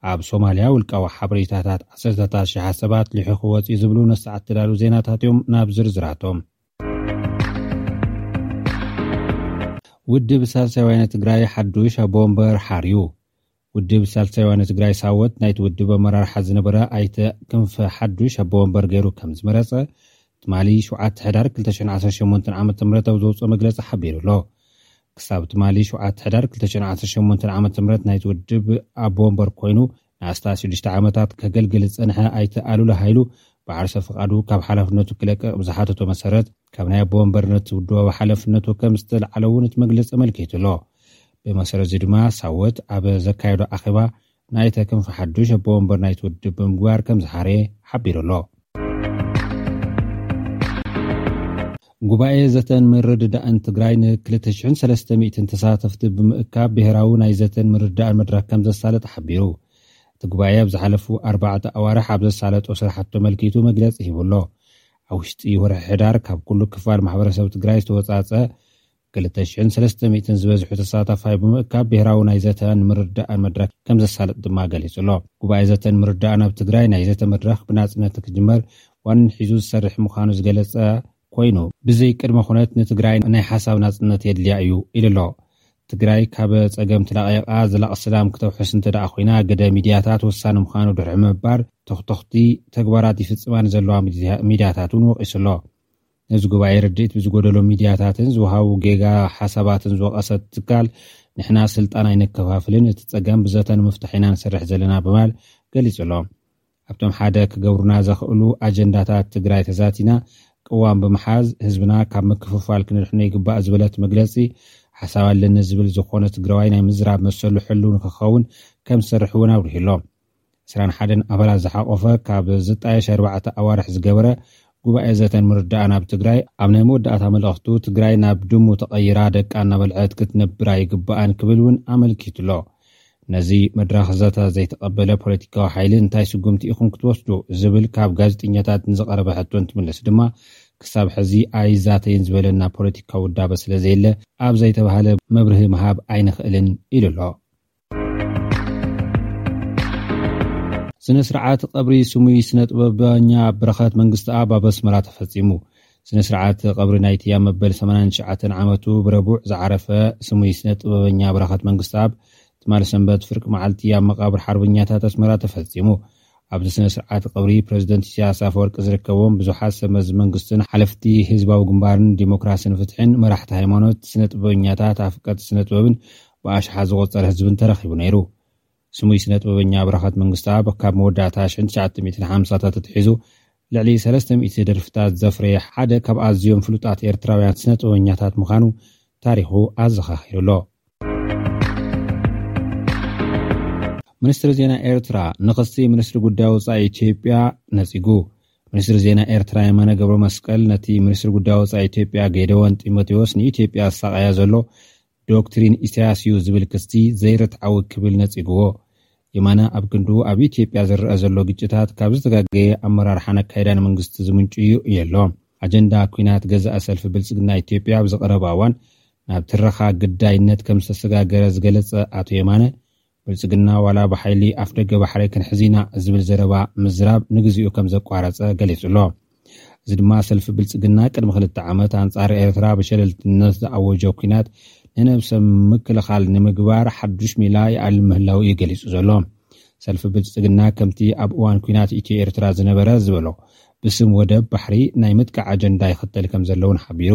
ኣብ ሶማልያ ውልቃዊ ሓበሬታታት ዓሰርተታት ሽሓት ሰባት ልሒኹ ወጺኡ ዝብሉ ንሰዓት ተዳለዉ ዜናታት እዮም። ናብ ዝርዝራቶም። ውድብ ሳልሳይ ወያነ ትግራይ ሓዱሽ ኣቦ ወንበር ሓርዩ። ውድብ ሳልሳይ ወያነ ትግራይ ሳወት ናይቲ ውድብ ኣመራርሓ ዝነበረ ኣይተ ክንፈ ሓዱሽ ኣቦ ወንበር ገይሩ ከም ዝመረጸ ትማሊ ሸውዓተ ሕዳር ክልተ ሽሕን ዓሰርተ ሸሞንተን ዓመተ ምህረት ኣብ ዘውፅኦ መግለጺ ሓቢሩ ኣሎ። ክሳብ ትማሊ ሸውዓተ ሕዳር ክልተ ሽሕን ዓሰርተ ሸሞንተን ዓመተ ምህረት ናይቲ ውድብ ኣቦ ወንበር ኮይኑ ንኣስታት ሽዱሽተ ዓመታት ከገልግል ዝጸንሐ ኣይተ ኣሉላ ሃይሉ ብዓርሰ ፍቓዱ ካብ ሓላፍነቱ ክለቅቕ ብዝሓተቶ መሰረት ካብ ናይ ኣቦ ወንበርነት ውድባዊ ሓላፍነቱ ከም ዝተልዓለ እውን እቲ መግለጺ ኣመልኪቱ ኣሎ። ብመሰረት እዚ ድማ ሳወት ኣብ ዘካየዶ ኣኼባ ናይተ ክንፈ ሓዱሽ ኣቦ ወንበር ናይቲ ውድብ ብምግባር ከም ዝሓረየ ሓቢሩ ኣሎ። ጉባኤ ዘተን ምርድዳእን ትግራይ ንክልተ ሽሕን ሰለስተ ሚእትን ተሳተፍቲ ብምእካብ ብሄራዊ ናይ ዘተን ምርድዳእን መድረኽ ከም ዘሳለጥ ሓቢሩ። እቲ ጉባኤ ኣብ ዝሓለፉ ኣርባዕተ ኣዋርሕ ኣብ ዘሳለጦ ስራሕቲ ተመልኪቱ መግለጺ ሂቡ ኣሎ። ኣብ ውሽጢ ወርሒ ሕዳር ካብ ኩሉ ክፋል ማሕበረሰብ ትግራይ ዝተወጻጸ ክልተ ሽሕን ሰለስተ ሚእትን ዝበዝሑ ተሳታፋይ ብምእካብ ብሄራዊ ናይ ዘተን ምርድዳእን መድረኽ ከም ዘሳልጥ ድማ ገሊጹ ኣሎ። ጉባኤ ዘተን ምርድዳእን ኣብ ትግራይ ናይ ዘተ መድረኽ ብናጽነት ክጅመር ዋኒን ሒዙ ዝሰርሕ ምዃኑ ዝገለጸ ኮይኑ፣ ብዘይ ቅድመ ኩነት ንትግራይ ናይ ሓሳብ ናጽነት የድልያ እዩ ኢሉ ኣሎ። ትግራይ ካብ ጸገም ተላቒቓ ዘላቒ ሰላም ክተውሕስ እንተ ደኣ ኮይና፣ ግደ ሚድያታት ወሳኒ ምዃኑ ድሕሪ ምባር፣ ተኽተኽቲ ተግባራት ይፍጽማ ንዘለዋ ሚድያ-፣ ሚድያታት እውን ወቒሱ ኣሎ። ነዚ ጉባኤ ርድኢት ብዝጎደሎ ሚድያታትን ዝወሃቡ ጌጋ ሓሳባትን ዝወቐሰት ትካል፣ ንሕና ስልጣን ኣይነከፋፍልን፣ እቲ ጸገም ብዘተ ንምፍታሕ ኢና ንሰርሕ ዘለና ብምባል ገሊጹ ኣሎ። ኣብቶም ሓደ ክገብሩና ዘኽእሉ ኣጀንዳታት ትግራይ ተዛቲና፣ ቅዋም ብምሓዝ ህዝብና ካብ ምክፍፋል ክንድሕኖ ይግባእ ዝበለት መግለጺ፣ ሓሳብ ኣለኒ ዝብል ዝኾነ ትግራዋይ ናይ ምዝራብ መሰሉ ሕሉው ንክኸውን ከም ዝሰርሕ እውን ኣብሪሁ ኣሎ። ዕስራን ሓደን ኣባላት ዝሓቆፈ ካብ ዝጣየሽ ኣርባዕተ ኣዋርሕ ዝገበረ ጉባኤ ዘተን ምርዳእን ኣብ ትግራይ ኣብ ናይ መወዳእታ መልእኽቱ ትግራይ ናብ ድሙ ተቐይራ ደቃ እናበልዐት ክትነብር ኣይግባኣን ክብል እውን ኣመልኪቱ ኣሎ። ነዚ መድረኽ ዘተ ዘይተቐበለ ፖለቲካዊ ሓይሊ እንታይ ስጉምቲ ኢኹም ክትወስዱ ዝብል ካብ ጋዜጠኛታት ንዝቐረበ ሕቶ እንትምልስ ድማ ክሳብ ሕዚ ኣይዛተይን ዝበለና ፖለቲካዊ ውዳበ ስለ ዘየለ ኣብ ዘይተባህለ መብርሂ ምሃብ ኣይንኽእልን ኢሉ ኣሎ። ስነ ስርዓት ቀብሪ ስሙይ ስነ ጥበበኛ በረኸት መንግስተኣብ ኣብ ኣስመራ ተፈጺሙ። ስነ ስርዓት ቀብሪ ናይቲ ኣብ መበል ሰማንያን ትሽዓተን ዓመቱ ብረቡዕ ዝዓረፈ ስሙይ ስነ ጥበበኛ በረኸት መንግስተኣብ ትማሊ ሰንበት ፍርቂ መዓልቲ ኣብ መቓብር ሓርበኛታት ኣስመራ ተፈጺሙ። ኣብዚ ስነ ስርዓት ቀብሪ ፕረዚደንት ኢሳያስ ኣፈወርቂ ዝርከቦም ብዙሓት ሰብ መዚ መንግስትን ሓለፍቲ ህዝባዊ ግንባርን ዲሞክራስን ፍትሕን መራሕቲ ሃይማኖት፣ ስነ ጥበበኛታት፣ ኣፍቀርቲ ስነ ጥበብን ብኣሽሓት ዝቖጸረ ህዝብን ተረኺቡ ነይሩ። ስሙይ ስነ ጥበበኛ በረኸት መንግስተኣብ ካብ መወዳእታ ሽሕን ትሽዓተ ሚእትን ሓምሳታት ኣትሒዙ ልዕሊ ሰለስተ ሚእቲ ደርፍታት ዘፍረየ ሓደ ካብ ኣዝዮም ፍሉጣት ኤርትራውያን ስነ ጥበበኛታት ምዃኑ ታሪኹ ኣዘኻኺሩ ኣሎ። ሚኒስትሪ ዜና ኤርትራ ንኽሲ ሚኒስትሪ ጉዳይ ወጻኢ ኢትዮጵያ ነጺጉ። ሚኒስትሪ ዜና ኤርትራ የማነ ገብረ መስቀል ነቲ ሚኒስትሪ ጉዳይ ወጻኢ ኢትዮጵያ ጌደዎን ጢሞቴዎስ ንኢትዮጵያ ኣሳቐያ ዘሎ ዶክትሪን ኢሳያስ እዩ ዝብል ክሲ ዘይርትዓዊ ክብል ነጺግዎ። የማነ ኣብ ክንዱ ኣብ ኢትዮጵያ ዝረኣ ዘሎ ግጭታት ካብ ዝተጋገየ ኣመራርሓን ኣካይዳን መንግስቲ ዝምንጩ እዩ ኢሉ ኣሎ። ኣጀንዳ ኲናት ገዛእ ሰልፊ ብልጽግና ኢትዮጵያ ኣብ ዝቐረበ እዋን ናብ ትረኻ ግዳይነት ከም ዝተሰጋገረ ዝገለጸ ኣቶ የማነ፣ ብልጽግና ዋላ ብሓይሊ ኣፍደገ ባሕሪ ክንሕዝ ኢና ዝብል ዘረባ ምዝራብ ንግዚኡ ከም ዘቋረጸ ገሊጹ ኣሎ። እዚ ድማ ሰልፊ ብልጽግና ቅድሚ ክልተ ዓመት ኣንጻር ኤርትራ ብሸለልትነት ዝኣወጆ ኲናት ንነብሰ ምክልኻል ንምግባር ሓዱሽ ሜላ ይኣልም ምህላው እዩ ገሊጹ ዘሎ። ሰልፊ ብልጽግና ከምቲ ኣብ እዋን ኲናት ኢትዮ ኤርትራ ዝነበረ ዝበሎ ብስም ወደብ ባሕሪ ናይ ምጥቃዕ ኣጀንዳ ይኽተል ከም ዘለውን ሓቢሩ።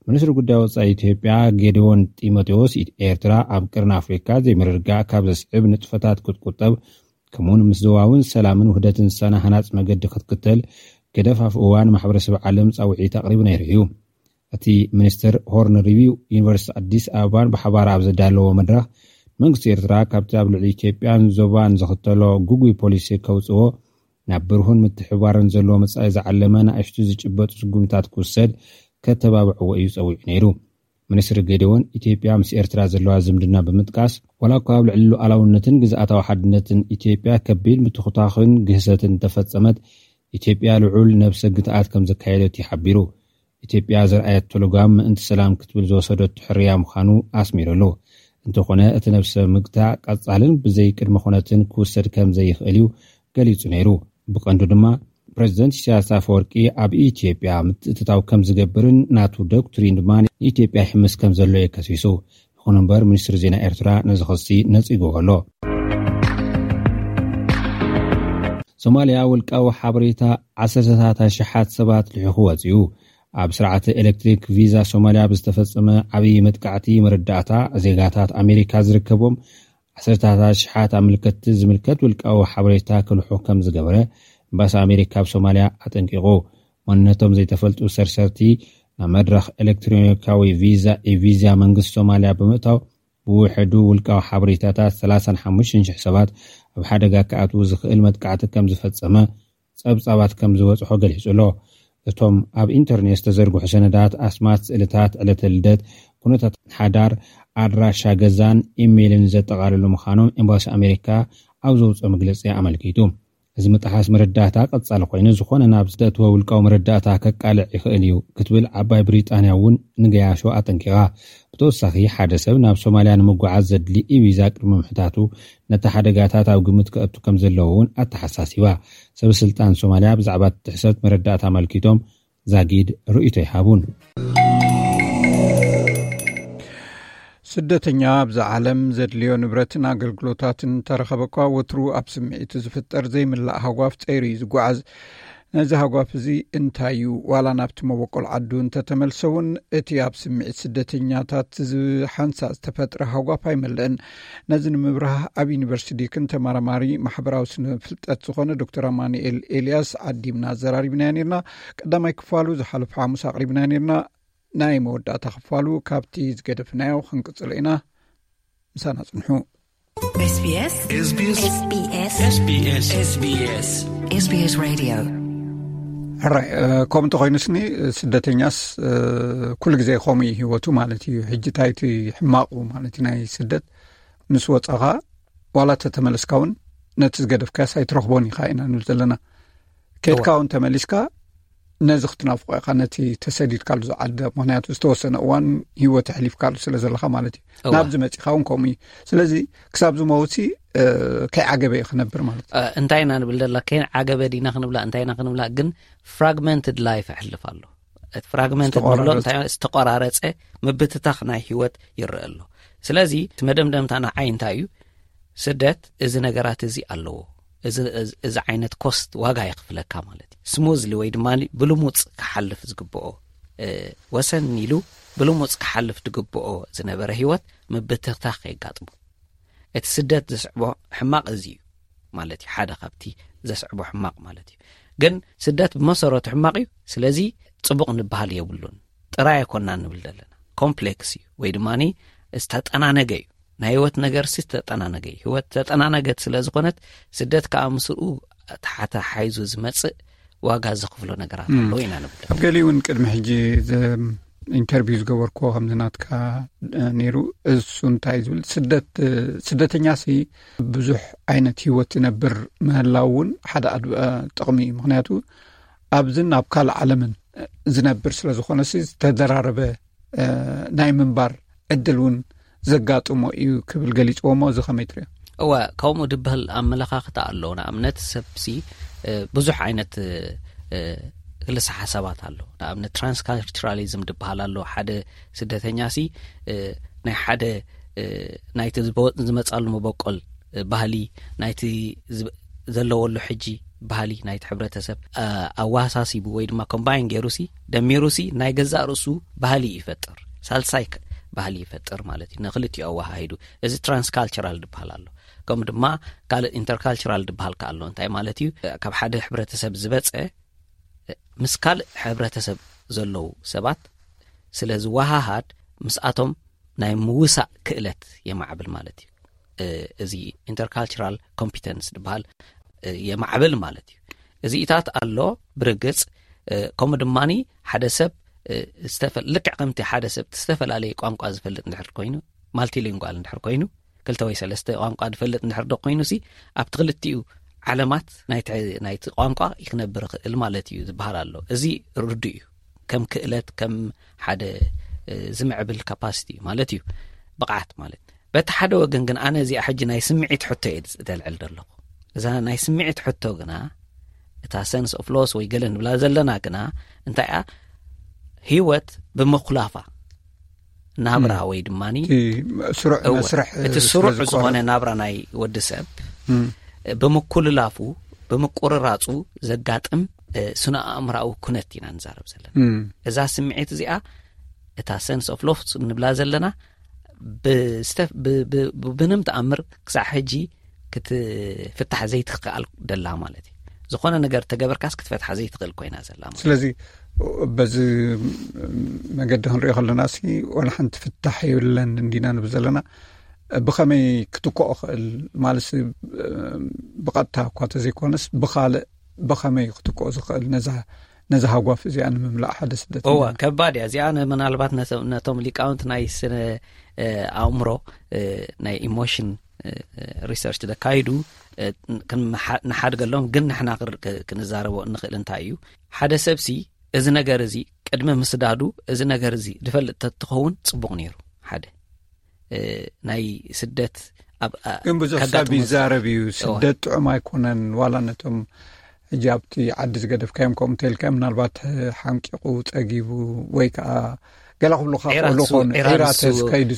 ሚኒስትሪ ጉዳይ ወጻኢ ኢትዮጵያ ጌድዎን ጢሞቴዎስ፣ ኤርትራ ኣብ ቅርኒ ኣፍሪካ ዘይምርግጋእ ካብ ዘስዕብ ንጥፈታት ክትቁጠብ ከምኡውን ምስ ዞባውን ሰላምን ውህደትን ዝሳነ ሃናጽ መገዲ ክትክተል ገደፍ ኣፍ እዋን ማሕበረሰብ ዓለም ጻውዒት ኣቕሪቡ ነይሩ እዩ። እቲ ሚኒስትር ሆርን ሪቪው ዩኒቨርሲቲ ኣዲስ ኣበባን ብሓባር ኣብ ዘዳለዎ መድረኽ፣ መንግስቲ ኤርትራ ካብቲ ኣብ ልዕሊ ኢትዮጵያን ዞባን ዝኽተሎ ግጉይ ፖሊሲ ከውጽዎ፣ ናብ ብርሁን ምትሕባርን ዘለዎ መጻኢ ዝዓለመ ንኣሽቱ ዝጭበጡ ስጉምታት ክውሰድ ከተባብዕዎ እዩ ጸዊዑ ነይሩ። ሚኒስትር ጌዴዎን ኢትዮጵያ ምስ ኤርትራ ዘለዋ ዝምድና ብምጥቃስ፣ ዋላ እኳ ኣብ ልዕሊ ሉዓላውነትን ግዝኣታዊ ሓድነትን ኢትዮጵያ ከቢድ ምትኹታኽን ግህሰትን እንተፈጸመት፣ ኢትዮጵያ ልዑል ነብሰ ግትኣት ከም ዘካየደት እዩ ሓቢሩ። ኢትዮጵያ ዘርኣየቶ ልጓም ምእንቲ ሰላም ክትብል ዝወሰደቶ ሕርያ ምዃኑ ኣስሚሩ ኣሎ። እንተኾነ እቲ ነብሰ ምግታእ ቀጻልን ብዘይ ቅድመ ኩነትን ክውሰድ ከም ዘይኽእል እዩ ገሊጹ ነይሩ። ብቐንዱ ድማ ፕሬዚደንት ኢሳያስ ኣፈወርቂ ኣብ ኢትዮጵያ ምትእትታው ከም ዝገብርን ናቱ ዶክትሪን ድማ ንኢትዮጵያ ይሕምስ ከም ዘሎ እዩ ከሲሱ። ይኹን እምበር ሚኒስትሪ ዜና ኤርትራ ነዚ ክሲ ነጺግዎ ኣሎ። ሶማልያ ውልቃዊ ሓበሬታ ዓሰርተታት ኣሽሓት ሰባት ልሒኹ ወጺኡ። ኣብ ስርዓተ ኤሌክትሪክ ቪዛ ሶማልያ ብዝተፈጸመ ዓብዪ መጥቃዕቲ መረዳእታ ዜጋታት ኣሜሪካ ዝርከቦም ዓሰርተታት ኣሽሓት ኣመልከትቲ ዝምልከት ውልቃዊ ሓበሬታ ክልሑ ከም ዝገበረ ኤምባሲ ኣሜሪካ ኣብ ሶማልያ ኣጠንቂቑ። መንነቶም ዘይተፈልጡ ሰርሰርቲ ናብ መድረኽ ኤሌክትሮኒካዊ ቪዛ ኢቪዛ መንግስቲ ሶማልያ ብምእታው ብውሕዱ ውልቃዊ ሓበሬታታት ሰላሳን ሓሙሽተን ሽሕ ሰባት ኣብ ሓደጋ ክኣትዉ ዝኽእል መጥቃዕቲ ከም ዝፈጸመ ጸብጻባት ከም ዝበጽሖ ገሊጹ ኣሎ። እቶም ኣብ ኢንተርኔት ዝተዘርግሑ ሰነዳት፣ ኣስማት፣ ስእልታት፣ ዕለተ ልደት፣ ኩነታት ሓዳር፣ ኣድራሻ ገዛን ኢሜይልን ዘጠቓልሉ ምዃኖም ኤምባሲ ኣሜሪካ ኣብ ዘውፅኦ መግለፂ ኣመልኪቱ። እዚ ምጥሓስ መረዳእታ ቀጻሊ ኮይኑ፣ ዝኾነ ናብ ዝተእትወ ውልቃዊ መረዳእታ ከቃልዕ ይኽእል እዩ ክትብል ዓባይ ብሪጣንያ እውን ንገያሾ ኣጠንቂቓ። ብተወሳኺ፣ ሓደ ሰብ ናብ ሶማልያ ንምጉዓዝ ዘድሊ ኢቪዛ ቅድሚ ምሕታቱ፣ ነቲ ሓደጋታት ኣብ ግምት ከእቱ ከም ዘለዎ እውን ኣተሓሳሲባ። ሰበ ስልጣን ሶማልያ ብዛዕባ እቲ ጥሕሰት መረዳእታ ኣመልኪቶም ዛጊድ ርእይቶ ይሃቡን። ስደተኛ ኣብዛ ዓለም ዘድልዮ ንብረትን ኣገልግሎታትን እንተረኸበ እኳ፣ ወትሩ ኣብ ስምዒቱ ዝፍጠር ዘይምላእ ሃጓፍ ጸይሩ እዩ ዝጓዓዝ። ነዚ ሃጓፍ እዚ እንታይ እዩ? ዋላ ናብቲ መበቆል ዓዱ እንተተመልሰ እውን፣ እቲ ኣብ ስምዒት ስደተኛታት ዝሓንሳእ ዝተፈጥረ ሃጓፍ ኣይመልእን። ነዚ ንምብራህ፣ ኣብ ዩኒቨርሲቲ ዲክን ተመራማሪ ማሕበራዊ ስነ ፍልጠት ዝኾነ ዶክተር ኣማኑኤል ኤልያስ ዓዲምና ኣዘራሪብናዮ ነርና። ቀዳማይ ክፋሉ ዝሓለፈ ሓሙስ ኣቕሪብናዮ ነርና። ናይ መወዳእታ ክፋሉ ካብቲ ዝገደፍናዮ ክንቅጽሎ ኢና። ምሳና ጽንሑ። SBS SBS SBS SBS SBS Radio። ሕራይ፣ እ፣ ከምኡ እንተኾይኑስኒ፣ ስደተኛስ፣ እ፣ ኩሉ ግዜ ከምኡ እዩ ህይወቱ ማለት እዩ። ሕጂ እንታይ እቲ ሕማቑ ማለት እዩ ናይ ስደት? ምስ ወጻኻ ዋላ ተተመለስካ እውን ነቲ ዝገደፍካስ ኣይትረኽቦን ኢኻ ኢና ንብል ዘለና። ከድካ እውን ተመሊስካ ነዚ ክትናፍቆ ኢኻ፣ ነቲ ተሰዲድካሉ ዝዓዲ። ምኽንያቱ ዝተወሰነ እዋን ህይወት ኣሕሊፍካሉ ስለ ዘለኻ ማለት እዩ። እዋ። ናብዚ መጺኻ እውን ከምኡ እዩ። ስለዚ ክሳብ ዝመውትሲ፣ እ፣ ከይዓገበ እዩ ክነብር ማለት እዩ። እ፣ እንታይ ኢና ንብል ደላ? ከይዓገበ ዲና ክንብላ፣ እንታይ ኢና ክንብላ? ግን ፍራግመንትድ ላይፍ ኣሕልፍ ኣሎ። እቲ ፍራግመንትድ ዝተቆራረጸ። ንብሎ እንታይ? ዝተቆራረጸ ምብትታኽ ናይ ህይወት ይረአ ኣሎ። ስለዚ እቲ መደምደምታ ንዓይ እንታይ እዩ? ስደት እዚ ነገራት እዚ ኣለዎ። እዚ፣ እዚ፣ እዚ ዓይነት ኮስት ዋጋ የኽፍለካ ማለት እዩ። ስሙዝሊ ወይ ድማ ብልሙጽ ክሓልፍ ዝግብኦ፣ እ፣ ወሰን ኢሉ ብልሙጽ ክሓልፍ ዝግብኦ ዝነበረ ህይወት ምብትታኽ የጋጥሞ። እቲ ስደት ዘስዕቦ ሕማቕ እዚ እዩ ማለት እዩ። ሓደ ካብቲ ዘስዕቦ ሕማቕ ማለት እዩ። ግን ስደት ብመሰረቱ ሕማቕ እዩ። ስለዚ ጽቡቕ ንበሃል የብሉን። ጥራይ ኣይኮንና ንብል ዘለና። ኮምፕሌክስ እዩ ወይ ድማ ዝተጠናነገ እዩ። ናይ ህይወት ነገር ሲ ዝተጠናነገ እዩ። ህይወት ዝተጠናነገት ስለ ዝኾነት ስደት ከዓ ምስኡ ተሓታሓይዙ ዝመጽእ ዋጋ ዘኽፍሎ ነገራት እም። ኣለዎ ኢና ንብል። ኣብ ገሊኡ እውን ቅድሚ ሕጂ ዘ-፣ ኢንተርቪው ዝገበርኩዎ ከምዚ ናትካ፣ እ፣ ነይሩ። እሱ እንታይ ዝብል ስደት፣ እ፣ ስደተኛ ሲ ብዙሕ ዓይነት ህይወት ዝነብር ምህላው እውን ሓደ ኣድ-፣ እ፣ ጥቕሚ እዩ። ምኽንያቱ ኣብዝን ኣብ ካልእ ዓለምን፣ እ፣ ዝነብር ስለ ዝኾነ ሲ ዝተደራረበ፣ እ፣ ናይ ምንባር ዕድል እውን ዘጋጥሞ እዩ ክብል ገሊጽዎ። እሞ እዚ ከመይ ትሪኦ? እወ፣ ከምኡ ድበሃል ኣመለኻኽታ ኣሎ። ንኣብነት ሰብሲ፣ እ፣ ብዙሕ ዓይነት፣ እ፣ እ፣ ክልሰ ሓሳባት ኣሎ። ንኣብነት ትራንስካልቸራሊዝም ድበሃል ኣሎ። ሓደ ስደተኛሲ፣ እ፣ ናይ ሓደ፣ እ፣ ናይቲ ዝበ-፣ ዝመጻሉ መበቆል፣ እ፣ ባህሊ፣ ናይቲ ዝብ-፣ ዘለወሉ ሕጂ ባህሊ ናይቲ ሕብረተሰብ፣ እ፣ ኣወሃሳሲቡ ወይ ድማ ኮምባይን ገይሩሲ፣ ደሚሩሲ ናይ ገዛእ ርእሱ ባህሊ ይፈጥር። ሳልሳይ ክ-፣ ባህሊ ይፈጥር ማለት እዩ፣ ንክልቲኡ ኣወሃሂዱ። እዚ ትራንስካልቸራል ዝበሃል ኣሎ። ከምኡ ድማ ካልእ ኢንተርካልቸራል ዝበሃል ከ ኣሎ። እንታይ ማለት እዩ? ካብ ሓደ ሕብረተሰብ ዝበፀ ምስ ካልእ ሕብረተሰብ ዘለዉ ሰባት ስለ ዝወሃሃድ ምስኣቶም ናይ ምውሳእ ክእለት የማዕብል ማለት እዩ። እዚ ኢንተርካልቸራል ኮምፒተንስ ዝበሃል የማዕብል ማለት እዩ። እዚኢታት ኣሎ ብርግጽ። ከምኡ ድማ ሓደ ሰብ ልክዕ ከምቲ ሓደ ሰብ ዝተፈላለየ ቋንቋ ዝፈልጥ እንድሕር ኮይኑ፣ ማልቲሊንጓል እንድሕር ኮይኑ፣ ክልተ ወይ ሰለስተ ቋንቋ ዝፈልጥ እንድሕር ዶ ኮይኑ ሲ ኣብቲ ክልቲኡ ዓለማት ናይቲ ቋንቋ ይክነብር ይኽእል ማለት እዩ ዝበሃል ኣሎ። እዚ ርዱእ እዩ። ከም ክእለት ከም ሓደ ዝምዕብል ካፓሲቲ ማለት እዩ፣ ብቕዓት ማለት። በቲ ሓደ ወገን ግን ኣነ እዚኣ ሕጂ ናይ ስምዒት ሕቶ እየ ዘልዕል ዘለኹ። እዛ ናይ ስምዒት ሕቶ ግና እታ ሰንስ ኦፍ ሎስ ወይ ገለ ንብላ ዘለና ግና እንታይ እያ? ህይወት ብምኩላፋ ናብራ ወይ ድማ ስሩዕ መስርሕ እቲ ስሩዕ ዝኾነ ናብራ ናይ ወዲ ሰብ ብምኩልላፉ ብምቁርራፁ ዘጋጥም ስነ ኣእምራዊ ኩነት ኢና ንዛረብ ዘለና። እዛ ስምዒት እዚኣ እታ ሰንስ ኦፍ ሎስ ንብላ ዘለና ብንም ተኣምር ክሳዕ ሕጂ ክትፍታሕ ዘይትኽኣል ደላ ማለት እዩ። ዝኾነ ነገር ተገበርካስ ክትፈትሓ ዘይትኽእል ኮይና ዘላ ማለት። ስለዚ በዚ መገዲ ክንሪኦ ከለና ሲ ዋላ ሓንቲ ፍታሕ የብለን እንዲና ንብል ዘለና። ብኸመይ ክትክኦ ክእል ማለት ብቐጥታ እኳ ተዘይኮነስ ብኻልእ ብኸመይ ክትክኦ ዝኽእል ነዛ ነዚ ሃጓፍ እዚኣ ንምምላእ ሓደ ስደት እዋ ከባድ እያ እዚኣ። ምናልባት ነቶም ሊቃውንት ናይ ስነ ኣእምሮ ናይ ኢሞሽን ሪሰርች ዘካይዱ ንሓድገሎም ግን ንሕና ክንዛረቦ እንኽእል እንታይ እዩ? ሓደ ሰብሲ እዚ ነገር እዚ ቅድሚ ምስዳዱ እዚ ነገር እዚ ዝፈልጥ ተትኸውን ጽቡቕ ነይሩ። ሓደ ናይ ስደት ኣብ ግን ብዙሕ ሰብ ይዛረብ እዩ። ስደት ጥዑም ኣይኮነን። ዋላ ነቶም ሕጂ ኣብቲ ዓዲ ዝገደፍካዮም ከምኡ እንተልካ ምናልባት ሓንቂቑ ጸጊቡ ወይ ከዓ ገላ ክብሉካ ክእሉ ኮኑ ኤራተስ ከይዱ።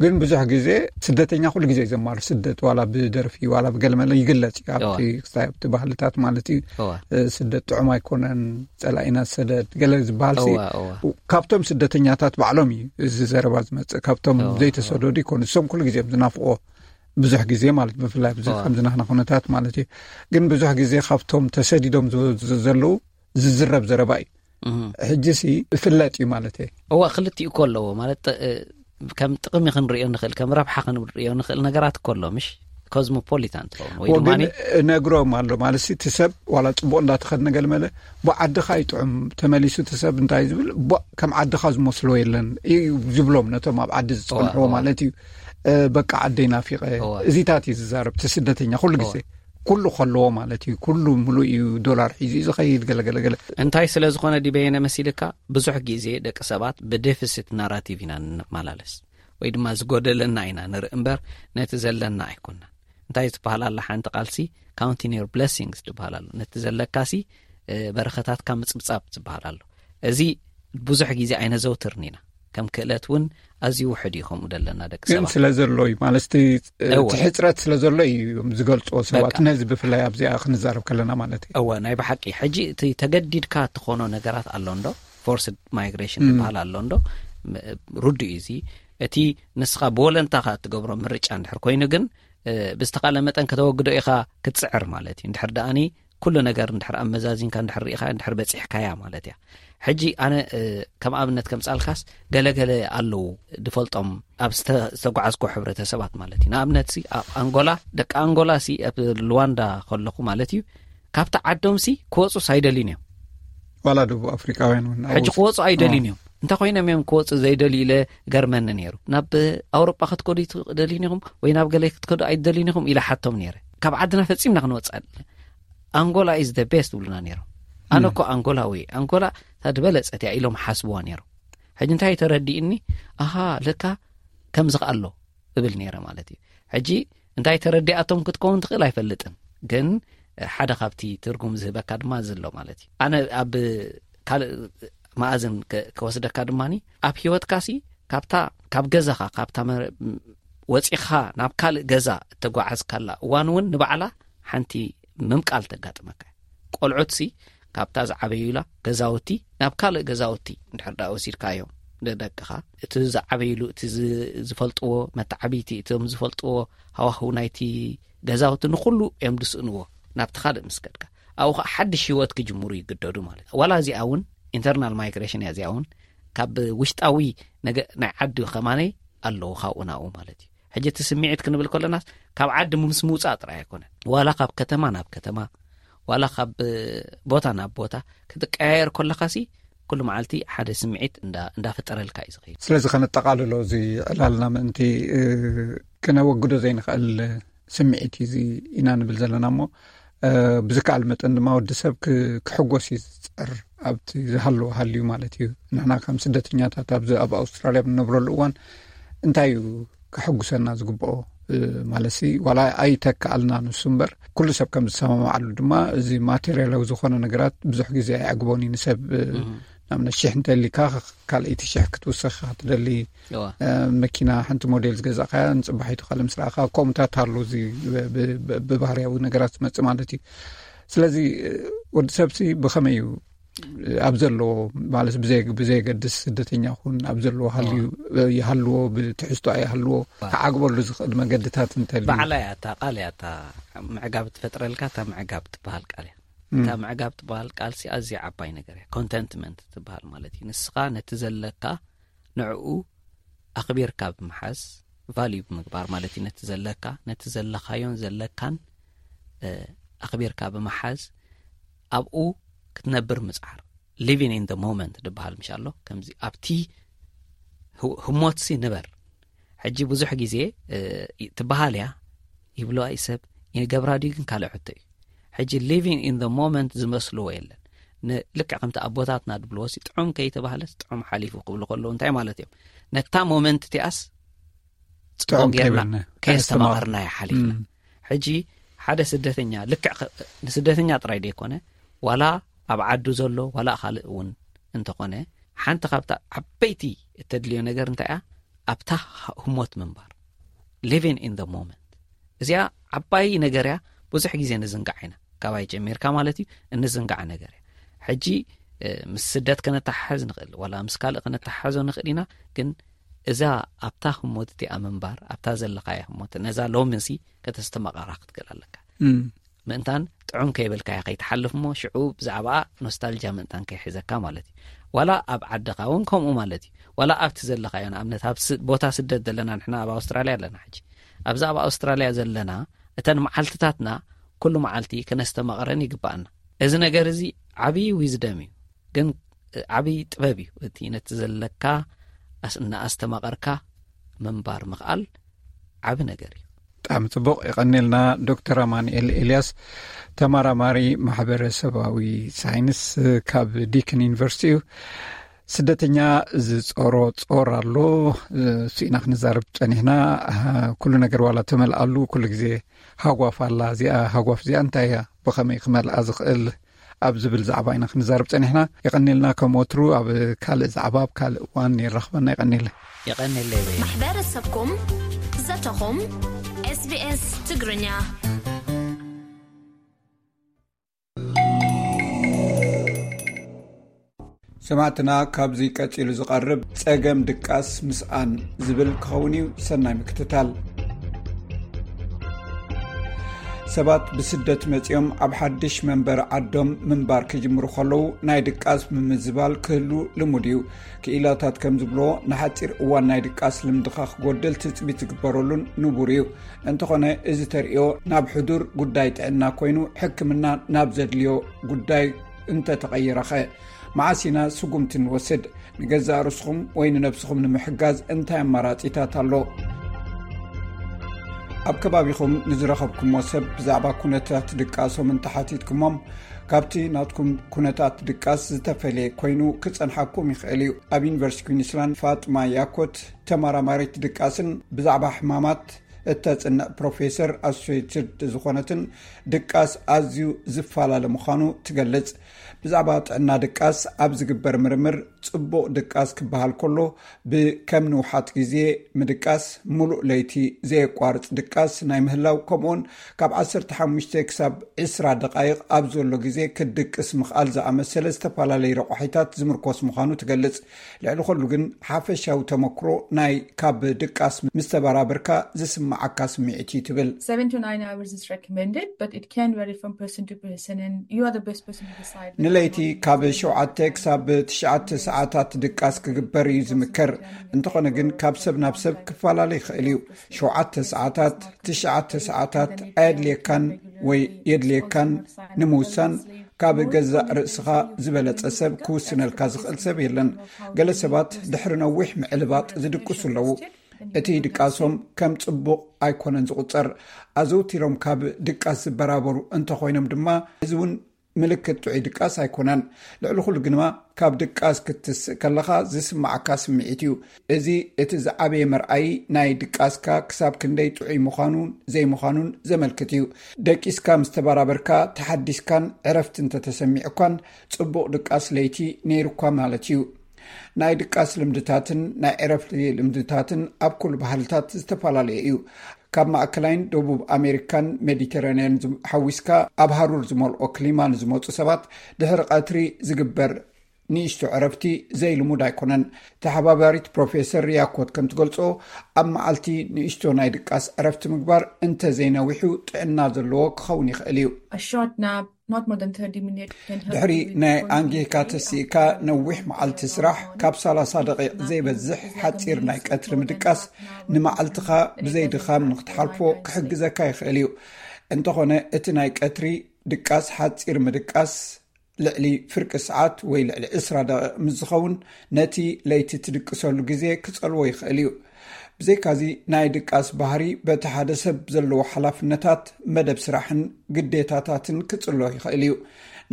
ግን ብዙሕ ግዜ ስደተኛ ኩሉ ግዜ ዘማሩ ስደት ዋላ ብደርፊ ዋላ ብገለመለ ይግለጽ እዩ ኣብቲ ክሳይ ኣብቲ ባህልታት ማለት እዩ። ስደት ጥዑም ኣይኮነን፣ ጸላኢና ሰደድ ገለ ዝበሃል ሲ ካብቶም ስደተኛታት ባዕሎም እዩ እዚ ዘረባ ዝመጽእ። ካብቶም ዘይተሰደዱ ይኮኑ እሶም ኩሉ ግዜ ዝናፍቆ ብዙሕ ግዜ ማለት ብፍላይ ኣብዚ ከምዚ ናህና ኩነታት ማለት እዩ። ግን ብዙሕ ግዜ ካብቶም ተሰዲዶም ዘለዉ ዝዝረብ ዘረባ እዩ። ሕጂ ሲ እፍለጥ እዩ ማለት እየ። እዋ ክልቲኡ እኮ ኣለዎ ማለት ከም ጥቕሚ ክንሪኦ ንኽእል ከም ረብሓ ክንሪኦ ንኽእል ነገራት እኮ ኣሎ ምሽ ኮዝሞፖሊታን ትኸውን ወይ ድማ ነግሮም ኣሎ ማለት እቲ ሰብ ዋላ ፅቡቅ እንዳተኸድነ ገለመለ ብዓድኻ ይጥዑም ተመሊሱ እቲ ሰብ እንታይ ዝብል ከም ዓድኻ ዝመስሎ የለን እዩ ዝብሎም ነቶም ኣብ ዓዲ ዝፀንሕዎ ማለት እዩ። በቃ ዓደይ ናፊቐ እዚታት እዩ ዝዛረብ እቲ ስደተኛ ኩሉ ግዜ ኩሉ ከለዎ ማለት እዩ። ኩሉ ምሉእ እዩ ዶላር ሒዙ እዩ ዝኸይድ ገለገለገለ። እንታይ ስለ ዝኾነ ዲበየነ መሲልካ ብዙሕ ግዜ ደቂ ሰባት ብደፊሲት ናራቲቭ ኢና ንመላለስ ወይ ድማ ዝጎደለና ኢና ንርኢ እምበር ነቲ ዘለና ኣይኮናን። እንታይ ዝበሃል ኣላ ሓንቲ ቃልሲ counting your blessings ዝበሃል ኣሎ። ነቲ ዘለካሲ በረኸታትካ ምጽብጻብ ዝበሃል ኣሎ። እዚ ብዙሕ ግዜ ኣይነዘውትርን ኢና። ከም ክእለት እውን ኣዝዩ ውሕድ እዩ ከምኡ ዘለና ደቂ ግን ሰባት። ስለ ዘሎ እዩ ማለት እቲ ሕፅረት ስለ ዘሎ እዩ እዮም ዝገልፅዎ ሰባት በቃ። ነዚ ብፍላይ ኣብዚኣ ክንዛረብ ከለና ማለት እዩ። እወ ናይ ብሓቂ ሕጂ እቲ ተገዲድካ እትኾኖ ነገራት ኣሎ እንዶ ፎርስድ ማይግሬሽን ዝበሃል ኣሎ እንዶ ም- ርዱእ እዩ እዚ እቲ ንስኻ ብወለንታኻ እትገብሮ ምርጫ እንድሕር ኮይኑ ግን ብዝተኻለ መጠን ከተወግዶ ኢኻ ክትፅዕር ማለት እዩ። እንድሕር ደኣኒ ኩሉ ነገር እንድሕር ኣመዛዚንካ እንድሕር ርኢኻ እንድሕር በፂሕካያ ማለት እያ። ሕጂ ኣነ ከም ኣብነት ከምፃልካስ ገለገለ ኣለዉ ዝፈልጦም ኣብ ዝተጓዓዝኮ ሕብረተሰባት ማለት እዩ። ንኣብነት ሲ ኣብ ኣንጎላ ደቂ ኣንጎላ ሲ ኣብ ሉዋንዳ ከለኹ ማለት እዩ ካብቲ ዓዶም ሲ ክወፁስ ኣይደልዩን እዮም። ዋላ ደቡብ ኣፍሪቃውያን እውን ሕጂ ክወፁ ኣይደልዩን እዮም። እንታይ ኮይኖም እዮም ክወፁ ዘይደልዩ ኢለ ገርመኒ ነይሩ። ናብ ኣውሮጳ ክትከዱ ደልዩን ኢኹም ወይ ናብ ገለ ክትከዱ ኣይደልዩን ኢኹም ኢለ ሓቶም ነይረ። ካብ ዓድና ፈፂምና ክንወፅእ ኣንጎላ is the best ይብሉና ነይሮም። ኣነ እኮ ኣንጎላዊ ኣንጎላ እታ ዝበለፀት እያ ኢሎም ሓስብዋ ነይሮም። ሕጂ እንታይ ተረዲእኒ ኣሃ ለካ ከምዚ ከ ኣሎ እብል ነይረ ማለት እዩ። ሕጂ እንታይ ተረዲኣቶም ክትከውን ትኽእል ኣይፈልጥን ግን ሓደ ካብቲ ትርጉም ዝህበካ ድማ ዘሎ ማለት እዩ። ኣነ ኣብ ካልእ መኣዝን ከወስደካ ድማ ኣብ ሂወትካሲ ካብታ ካብ ገዛኻ ካብታ ወፂኻ ናብ ካልእ ገዛ እተጓዓዝካላ እዋን እውን ንባዕላ ሓንቲ ምምቃል ተጋጥመካ። ቆልዑትሲ ካብታ ዝዓበዩላ ገዛውቲ ናብ ካልእ ገዛውቲ እንድሕር ዳ ወሲድካዮም ንደቅኻ፣ እቲ ዝዓበይሉ፣ እቲ ዝ- ዝፈልጥዎ መተዓብይቲ፣ እቶም ዝፈልጥዎ ሃዋህው ናይቲ ገዛውቲ ንኹሉ እዮም ዝስእንዎ። ናብቲ ካልእ ምስ ከድካ፣ ኣብኡ ከዓ ሓድሽ ህይወት ክጅምሩ ይግደዱ ማለት እዩ። ዋላ እዚኣ እውን ኢንተርናል ማይግሬሽን እያ። እዚኣ እውን ካብ ውሽጣዊ ነገ ናይ ዓዲ ከማነይ ኣለዉ ካብኡ ናብኡ ማለት እዩ። ሕጂ እቲ ስምዒት ክንብል ከለናስ ካብ ዓዲ ምስ ምውፃእ ጥራይ ኣይኮነን። ዋላ ካብ ከተማ ናብ ከተማ፣ ዋላ ካብ ቦታ ናብ ቦታ ክትቀያየር ከለኻሲ ኩሉ መዓልቲ ሓደ ስምዒት እንዳ- እንዳፈጠረልካ እዩ ዝኸይድ። ስለዚ ከነጠቓልሎ፣ እዚ ዕላልና ምእንቲ እ፣ ክነወግዶ ዘይንኽእል ስምዒት እዩ እዚ ኢና ንብል ዘለና እሞ፣ እ፣ ብዝከኣል መጠን ድማ ወዲ ሰብ ክ- ክሕጎስ እዩ ዝፅዕር፣ ኣብቲ ዝሃለዎ ሃልዩ ማለት እዩ። ንሕና ከም ስደተኛታት ኣብዚ ኣብ ኣውስትራልያ ብንነብረሉ እዋን እንታይ እዩ ከሐጉሰና ዝግብኦ? እ፣ ማለትሲ ዋላ ኣይተካኣልና ንሱ እምበር፣ ኩሉ ሰብ ከም ዝሰማማዓሉ ድማ፣ እዚ ማቴሪያላዊ ዝኾነ ነገራት ብዙሕ ግዜ ኣይዕግቦን እዩ ንሰብ። እ፣ ንኣብነት ሽሕ እንተሊካ፣ ካልኣይቲ ሽሕ ክትውሰኽ ኢኻ ትደሊ። እዋ። እ፣ መኪና ሓንቲ ሞዴል ዝገዛእካያ ንፅባሒቱ ካልእ ምስ ረኣኻ፣ ከምኡታት ኣሎ፣ እዚ ብ- ብ- ብባህርያዊ ነገራት ዝመፅእ ማለት እዩ። ስለዚ እ፣ ወዲ ሰብሲ ብኸመይ እዩ ኣብ ዘለዎ፣ ማለት ብዘይ- ብዘየገድስ፣ ስደተኛ ኹን ኣብ ዘለዎ ሃልዩ ይሃልዎ፣ ብትሕዝቶ ኣይሃልዎ፣ ክዓግበሉ ዝኽእል መገድታት እንተልዩ? ባዕላ እያ እታ ቃል እያ እታ ምዕጋብ ትፈጥረልካ። እታ ምዕጋብ ትበሃል ቃል እያ። እታ ምዕጋብ ትበሃል ቃል ሲ ኣዝያ ዓባይ ነገር እያ። ኮንተንትመንት ትበሃል ማለት እዩ። ንስኻ ነቲ ዘለካ ንዕኡ ኣኽቢርካ ብምሓዝ፣ ቫልዩ ብምግባር ማለት እዩ። ነቲ ዘለካ፣ ነቲ ዘለኻዮን ዘለካን እ፣ ኣኽቢርካ ብምሓዝ፣ ኣብኡ ክትነብር ምፅዓር። Living in the moment ዝበሃል ምሽ ኣሎ። ከምዚ ኣብቲ ህው- ህሞትሲ ንበር። ሕጂ ብዙሕ ግዜ እ፣ ትበሃል እያ፣ ይብሎ እዩ ሰብ፣ ይገብራ ድዩ ግን ካልእ ሕቶ እዩ። ሕጂ living in the moment ዝመስልዎ የለን። ን- ልክዕ ከምቲ ኣቦታትና ዝብልዎ ሲ፣ ጥዑም ከይተባህለስ ጥዑም ሓሊፉ ክብሉ ከለዉ እንታይ ማለት እዮም? ነታ ሞመንት እቲኣስ ጥዑም ጽቡቕ ጌርና ከይበልና፣ ከየስተማቐርናያ ሓሊፍና። ሕጂ ሓደ ስደተኛ ልክዕ ከ- ንስደተኛ ጥራይ ዘይኮነ፣ ዋላ ኣብ ዓዱ ዘሎ ዋላ ካልእ እውን እንተኾነ፣ ሓንቲ ካብታ ዓበይቲ እተድልዮ ነገር እንታይ እያ? ኣብታ ህሞት ምንባር፣ living in the moment። እዚኣ ዓባይ ነገር እያ። ብዙሕ ግዜ ንዝንጋዕ ኢና፣ ካባይ ጀሚርካ ማለት እዩ፣ እንዝንጋዕ ነገር እያ። ሕጂ እ፣ ምስ ስደት ከነተሓሕዝ ንኽእል፣ ዋላ ምስ ካልእ ከነተሓሕዞ ንኽእል ኢና። ግን እዛ ኣብታ ህሞት እቲኣ ምንባር፣ ኣብታ ዘለኻያ ህሞት፣ ነዛ ሎምንሲ ከተስተማቐራ ክትክእል ኣለካ። ምእንታን ጥዑም ከይበልካያ ከይትሓልፍ እሞ፣ ሽዑ ብዛዕባኣ ኖስታልጃ ምእንታን ከይሕዘካ ማለት እዩ። ዋላ ኣብ ዓድኻ እውን ከምኡ ማለት እዩ። ዋላ ኣብቲ ዘለኻዮ፣ ንኣብነት ኣብ ስ- ቦታ ስደት ዘለና፣ ንሕና ኣብ ኣውስትራልያ ኣለና። ሕጂ ኣብዛ ኣብ ኣውስትራልያ ዘለና፣ እተን መዓልትታትና ኩሉ መዓልቲ ከነስተማቕረን ይግባኣና። እዚ ነገር እዚ ዓብዪ ዊዝደም እዩ፣ ግን ዓብዪ ጥበብ እዩ። እቲ ነቲ ዘለካ ኣስ- እናኣስተማቐርካ ምንባር ምኽኣል ዓቢ ነገር እዩ። ብጣዕሚ ጽቡቕ፣ የቐኔልና ዶክተር ኣማኑኤል ኤልያስ፣ ተመራማሪ ማሕበረሰባዊ ሳይንስ ካብ ዲክን ዩኒቨርሲቲ እዩ። ስደተኛ ዝጾሮ ጾር ኣሎ፣ እሱ ኢና ክንዛረብ ጸኒሕና። ኩሉ ነገር ዋላ ተመልኣሉ፣ ኩሉ ግዜ ሃጓፍ ኣላ። እዚኣ ሃጓፍ እዚኣ እንታይ እያ? ብኸመይ ክመልኣ ዝኽእል? ኣብ ዝብል ዛዕባ ኢና ክንዛረብ ጸኒሕና። የቐኔልና፣ ከም ወትሩ ኣብ ካልእ ዛዕባ፣ ኣብ ካልእ እዋን የራኽበና። የቐኔለ። የቐኔለ በይ። ማሕበረሰብኩም ዘተኹም ኤስቢኤስ ትግርኛ። ሰማዕትና፣ ካብዚ ቀጺሉ ዝቐርብ ጸገም ድቃስ ምስኣን ዝብል ክኸውን እዩ። ሰናይ ምክትታል። ሰባት ብስደት መጺኦም ኣብ ሓድሽ መንበሪ ዓዶም ምንባር ክጅምሩ ከለዉ ናይ ድቃስ ምምዝባል ክህሉ ልሙድ እዩ። ክኢላታት ከም ዝብልዎ፣ ንሓጺር እዋን ናይ ድቃስ ልምድኻ ክጎድል ትጽቢት ዝግበረሉን ንቡር እዩ። እንተኾነ፣ እዚ ተርእዮ ናብ ሕዱር ጉዳይ ጥዕና ኮይኑ፣ ሕክምና ናብ ዘድልዮ ጉዳይ እንተተቐይረኸ? መዓስ ኢና ስጉምቲ ንወስድ? ንገዛእ ርእስኹም ወይ ንነብስኹም ንምሕጋዝ እንታይ ኣማራጺታት ኣሎ? ኣብ ከባቢኹም ንዝረኸብኩሞ ሰብ ብዛዕባ ኩነታት ድቃሶም እንተሓቲትኩሞም፣ ካብቲ ናትኩም ኩነታት ድቃስ ዝተፈልየ ኮይኑ ክጸንሓኩም ይኽእል እዩ። ኣብ ዩኒቨርሲቲ ኩዊንስላንድ ፋጥማ ያኮት፣ ተመራማሪት ድቃስን ብዛዕባ ሕማማት እተጽንዕ ፕሮፌሰር ኣሶሴትድ ዝኾነትን ድቃስ ኣዝዩ ዝፈላለ ምዃኑ ትገልጽ። ብዛዕባ ጥዕና ድቃስ ኣብ ዝግበር ምርምር ጽቡቕ ድቃስ ክበሃል ከሎ ብከም ንውሓት ግዜ ምድቃስ፣ ምሉእ ለይቲ ዘየቋርጽ ድቃስ ናይ ምህላው፣ ከምኡውን ካብ ዓሰርተ ሓሙሽተ ክሳብ ዕስራ ደቓይቕ ኣብ ዘሎ ግዜ ክትድቅስ ምኽኣል ዝኣመሰለ ዝተፈላለዩ ረቋሒታት ዝምርኮስ ምዃኑ ትገልጽ። ልዕሊ ኩሉ ግን ሓፈሻዊ ተመክሮ ናይ ካብ ድቃስ ምስ ተበራበርካ ዝስምዓካ ስምዒት እዩ ትብል። Seven to nine hours is recommended, but it can vary from person to person, and you are the best person to decide. ንለይቲ ካብ ሸውዓተ ክሳብ ትሽዓተ ሰዓታት ድቃስ ክግበር እዩ ዝምከር። እንተኾነ ግን ካብ ሰብ ናብ ሰብ ክፈላለ ይኽእል እዩ። ሸውዓተ ሰዓታት፣ ትሽዓተ ሰዓታት ኣየድልየካን ወይ የድልየካን ንምውሳን ካብ ገዛእ ርእስኻ ዝበለጸ ሰብ ክውስነልካ ዝኽእል ሰብ የለን። ገለ ሰባት ድሕሪ ነዊሕ ምዕልባጥ ዝድቅሱ ኣለዉ። እቲ ድቃሶም ከም ጽቡቕ ኣይኮነን ዝቑጸር። ኣዘውቲሮም ካብ ድቃስ ዝበራበሩ እንተኾይኖም ድማ፣ እዚ እውን ምልክት ጥዑይ ድቃስ ኣይኮነን። ልዕሊ ኩሉ ግንማ ካብ ድቃስ ክትስእ ከለኻ ዝስምዓካ ስምዒት እዩ። እዚ እቲ ዝዓበየ መርኣዪ ናይ ድቃስካ ክሳብ ክንደይ ጥዑይ ምዃኑን ዘይምዃኑን ዘመልክት እዩ። ደቂስካ ምስ ተበራበርካ ተሓዲስካን ዕረፍቲ እንተተሰሚዑካን፣ ጽቡቕ ድቃስ ለይቲ ነይሩካ ማለት እዩ። ናይ ድቃስ ልምድታትን ናይ ዕረፍቲ ልምድታትን ኣብ ኩሉ ባህልታት ዝተፈላለየ እዩ። ካብ ማእከላይን ደቡብ ኣሜሪካን ሜዲተራንያን ዝም-፣ ሓዊስካ ኣብ ሃሩር ዝመልኦ ክሊማ ንዝመጹ ሰባት ድሕሪ ቀትሪ ዝግበር ንእሽቶ ዕረፍቲ ዘይልሙድ ኣይኮነን። ተሓባባሪት ፕሮፌሰር ሪያኮት ከም ትገልጾ፣ ኣብ መዓልቲ ንእሽቶ ናይ ድቃስ ዕረፍቲ ምግባር እንተ ዘይነዊሑ ጥዕና ዘለዎ ክኸውን ይኽእል እዩ። A short nap, not more than thirty minutes, can help ድሕሪ you with ናይ concentrate ኣንጌካ ተሲእካ ነዊሕ መዓልቲ ስራሕ፣ ካብ ሰላሳ ደቂቕ ዘይበዝሕ ሓጺር ናይ ቀትሪ ምድቃስ ንመዓልትኻ ብዘይ ድኻም ንክትሓልፎ ክሕግዘካ ይኽእል እዩ። እንተኾነ እቲ ናይ ቀትሪ ድቃስ ሓጺር ምድቃስ ልዕሊ ፍርቂ ሰዓት ወይ ልዕሊ ዕስራ ደቂቕ ምስ ዝኸውን፣ ነቲ ለይቲ ትድቅሰሉ ግዜ ክጸልዎ ይኽእል እዩ። ብዘይካዚ ናይ ድቃስ ባህሪ በቲ ሓደ ሰብ ዘለዎ ሓላፍነታት፣ መደብ ስራሕን ግዴታታትን ክጽሎ ይኽእል እዩ።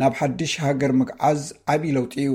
ናብ ሓድሽ ሃገር ምግዓዝ ዓቢ ለውጢ እዩ።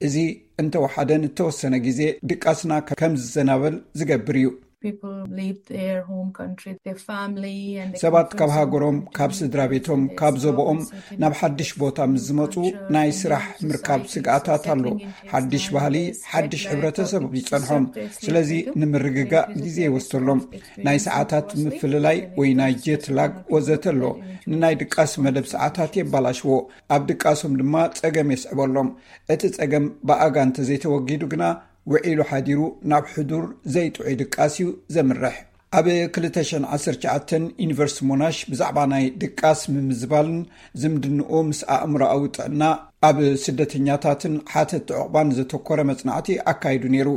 እዚ እንተወሓደ ንተወሰነ ግዜ ድቃስና ከም ዝዘናበል ዝገብር እዩ። People leave their home country, their family, and they ሰባት come ካብ from ሃገሮም፣ certain ካብ country ስድራ ቤቶም፣ to their ካብ self, ዘቦኦም certain ናብ ሓድሽ culture, ቦታ ምስ ዝመጹ culture, ናይ society, ስራሕ ምርካብ settling into ስግኣታት ኣሎ። society, ሓድሽ it's ባህሊ፣ like ሓድሽ jet lag, ሕብረተሰብ but ይጸንሖም። it's ስለዚ different. ንምርግጋእ They ግዜ visit ይወስደሎም። themselves, ናይ experiencing ሰዓታት closely, ምፍልላይ and it ወይ ናይ does jet lag something ወዘተ ኣሎ። that we ንናይ ድቃስ መደብ ሰዓታት የባላሽዎ። ኣብ ድቃሶም ድማ ጸገም የስዕበሎም። እቲ ጸገም ብኣጋ እንተዘይተወጊዱ ግና፣ ውዒሉ ሓዲሩ ናብ ሕዱር ዘይጥዑይ ድቃስ እዩ ዘምርሕ። ኣብ ክልተ ሽሕን ዓሰርተ ትሽዓተን ዩኒቨርሲቲ ሞናሽ ብዛዕባ ናይ ድቃስ ምምዝባልን ዝምድንኡ ምስ ኣእምሮኣዊ ጥዕና ኣብ ስደተኛታትን ሓተቲ ዕቑባን ዘተኮረ መጽናዕቲ ኣካይዱ ነይሩ።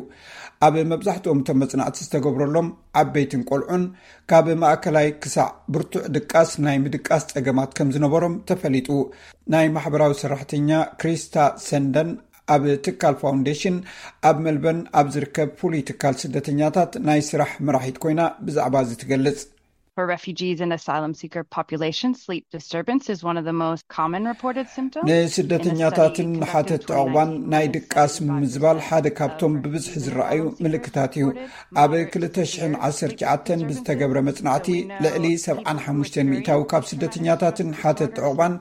ኣብ መብዛሕትኦም እቶም መጽናዕቲ ዝተገብረሎም ዓበይትን ቆልዑን ካብ ማእከላይ ክሳዕ ብርቱዕ ድቃስ ናይ ምድቃስ ጸገማት ከም ዝነበሮም ተፈሊጡ። ናይ ማሕበራዊ ሰራሕተኛ ክሪስታ ሰንደን ኣብ ትካል ፋውንዴሽን ኣብ መልበርን ኣብ ዝርከብ ፍሉይ ትካል ስደተኛታት ናይ ስራሕ መራሒት ኮይና ብዛዕባ እዚ ትገልጽ። For refugees and asylum seeker population, sleep disturbance is one of the most common reported symptoms. ንስደተኛታትን ሓተቲ ዕቑባን ናይ ድቃስ ምምዝባል ሓደ ካብቶም ብብዝሒ ዝረኣዩ ምልክታት እዩ። ኣብ ክልተ ሽሕን ዓሰርተ ትሽዓተን ብዝተገብረ መጽናዕቲ፣ ልዕሊ ሰብዓን ሓሙሽተን ሚእታዊ ካብ ስደተኛታትን ሓተቲ ዕቑባን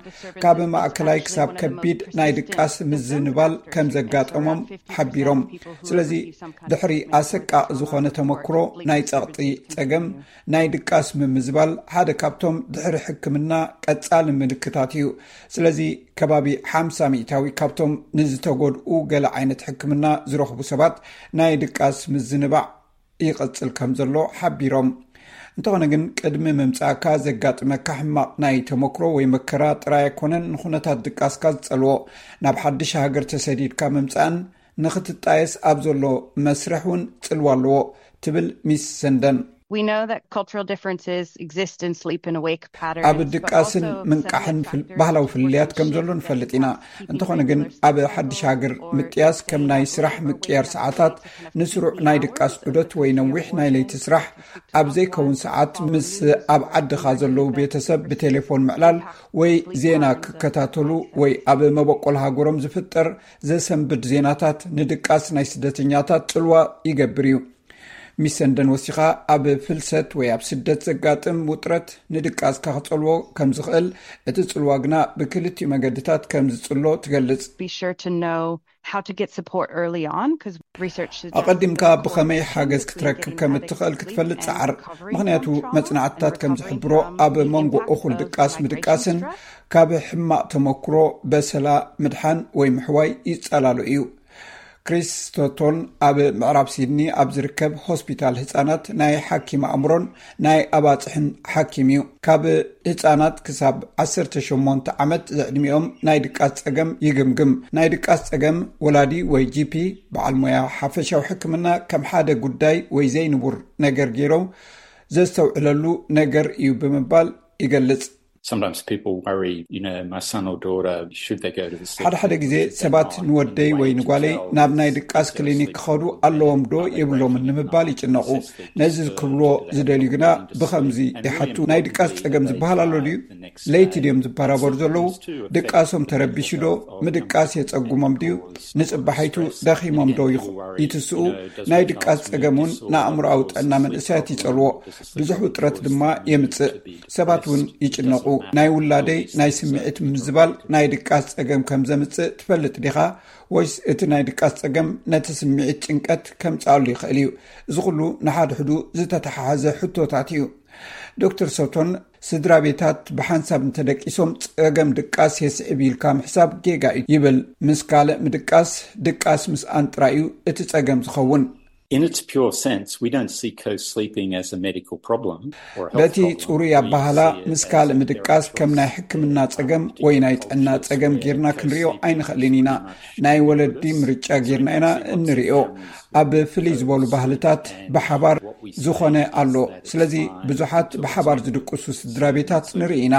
ካብ ማእከላይ ክሳብ ከቢድ ናይ ድቃስ ምዝንባል ከም ዘጋጠሞም ሓቢሮም። ስለዚ ድሕሪ ኣሰቃቂ ዝኾነ ተመክሮ ናይ ጸቕጢ ጸገም፣ ናይ ድቃስ ምምዝባል ሓደ ካብቶም ድሕሪ ሕክምና ቀጻሊ ምልክታት እዩ። ስለዚ ከባቢ ሓምሳ ሚእታዊ ካብቶም ንዝተጎድኡ ገለ ዓይነት ሕክምና ዝረኽቡ ሰባት ናይ ድቃስ ምዝንባዕ ይቐጽል ከም ዘሎ ሓቢሮም። እንተኾነ ግን ቅድሚ ምምጻእካ ዘጋጥመካ ሕማቕ ናይ ተመክሮ ወይ መከራ ጥራይ ኣይኮነን ንኹነታት ድቃስካ ዝጸልዎ። ናብ ሓድሽ ሃገር ተሰዲድካ ምምጻእን ንኽትጣየስ ኣብ ዘሎ መስርሕ እውን ጽልዋ ኣለዎ ትብል ሚስ ሰንደን። We know that cultural differences exist in sleep and wake patterns, ኣብ ድቃስን ምንቃሕን ባህላዊ ፍልልያት ከም ዘሎ ንፈልጥ ኢና። እንተኾነ ግን ኣብ ሓድሽ ሃገር ምጥያስ ከም ናይ ስራሕ ምቅያር ሰዓታት፣ ንስሩዕ ናይ ድቃስ ዑደት ወይ ነዊሕ ናይ ለይቲ ስራሕ፣ ኣብ ዘይከውን ሰዓት ምስ ኣብ ዓድኻ ዘለዉ ቤተሰብ ብቴሌፎን ምዕላል ወይ ዜና ክከታተሉ ወይ ኣብ መበቆል ሃገሮም ዝፍጠር ዘሰንብድ ዜናታት ንድቃስ ናይ ስደተኛታት ጽልዋ ይገብር እዩ። ሚስ ሰንደን ወሲኻ፣ ኣብ ፍልሰት ወይ ኣብ ስደት ዘጋጥም ውጥረት ንድቃስካ ክጸልዎ ከም ዝኽእል፣ እቲ ጽልዋ ግና ብክልቲኡ መገድታት ከም ዝጽሎ ትገልጽ። Be sure to know how to get support early on, because research suggests ኣቐዲምካ that ብኸመይ support ሓገዝ tends to ክትረክብ get ከም adequate እትኽእል ክትፈልጥ and ጸዓር። recovery ምኽንያቱ from trauma መጽናዕትታት and ከም recovery ዝሕብሮ፣ can ኣብ become መንጎ the እኹል post ድቃስ migration ምድቃስን stress. ካብ ሕማቕ ተመክሮ በሰላ ምድሓን ወይ ምሕዋይ ይጸላሎ እዩ። ክሪስ ስቶቶን ኣብ ምዕራብ ሲድኒ ኣብ ዝርከብ ሆስፒታል ህጻናት ናይ ሓኪም ኣእምሮን ናይ ኣባጽሕን ሓኪም እዩ። ካብ ህጻናት ክሳብ ዓሰርተ ሸሞንተ ዓመት ዘዕድሚኦም ናይ ድቃስ ጸገም ይግምግም። ናይ ድቃስ ጸገም ወላዲ ወይ ጂፒ፣ በዓል ሞያ ሓፈሻዊ ሕክምና፣ ከም ሓደ ጉዳይ ወይ ዘይንቡር ነገር ገይሮም ዘስተውዕለሉ ነገር እዩ ብምባል ይገልጽ። Sometimes people worry, you know, my son or daughter, should they go to the sleep ሓደ ሓደ ግዜ ሰባት ንወደይ ወይ ንጓለይ ናብ ናይ ድቃስ ክሊኒክ ክኸዱ ኣለዎም ዶ የብሎምን ንምባል ይጭነቑ። ነዚ ክብልዎ ዝደልዩ ግና ብኸምዚ ይሓቱ፣ ናይ ድቃስ ጸገም ዝበሃል ኣሎ ድዩ? ለይቲ ድዮም ዝበራበሩ ዘለዉ? ድቃሶም ተረቢሹ ዶ? ምድቃስ የጸጉሞም ድዩ? ንጽባሒቱ ደኺሞም ዶ ይኹ- ይትስኡ? ናይ ድቃስ ጸገም እውን ንኣእምሮኣዊ ጥዕና መንእሰያት ይጸልዎ፣ ብዙሕ ውጥረት ድማ የምጽእ። ሰባት እውን ይጭነቑ። ናይ ውላደይ ናይ ስምዒት ምዝባል ናይ ድቃስ ጸገም ከም ዘምጽእ ትፈልጥ ዲኻ? ወይስ እቲ ናይ ድቃስ ጸገም ነቲ ስምዒት ጭንቀት ከምጽኣሉ ይኽእል እዩ? እዚ ኩሉ ንሓድሕዱ ዝተተሓሓዘ ሕቶታት እዩ። ዶክተር ሶቶን፣ ስድራ ቤታት ብሓንሳብ እንተደቂሶም ጸገም ድቃስ የስዕብ ኢልካ ምሕሳብ ጌጋ እዩ ይብል። ምስ ካልእ ምድቃስ፣ ድቃስ ምስኣን ጥራይ እዩ እቲ ጸገም ዝኸውን። In its pure sense, we don't see co-sleeping as a medical problem or a health በቲ problem. ጽሩይ We ኣባህላ see it ምስ as ካልእ a ምድቃስ ከም ናይ ሕክምና ጸገም ወይ ናይ ጥዕና ጸገም ጌርና ክንሪኦ ኣይንኽእልን ኢና። ናይ ወለዲ ምርጫ ጌርና ኢና እንሪኦ። ኣብ ፍልይ ዝበሉ ባህልታት ብሓባር ዝኾነ ኣሎ። ስለዚ ብዙሓት ብሓባር ዝድቅሱ ስድራ ቤታት ንርኢ ኢና።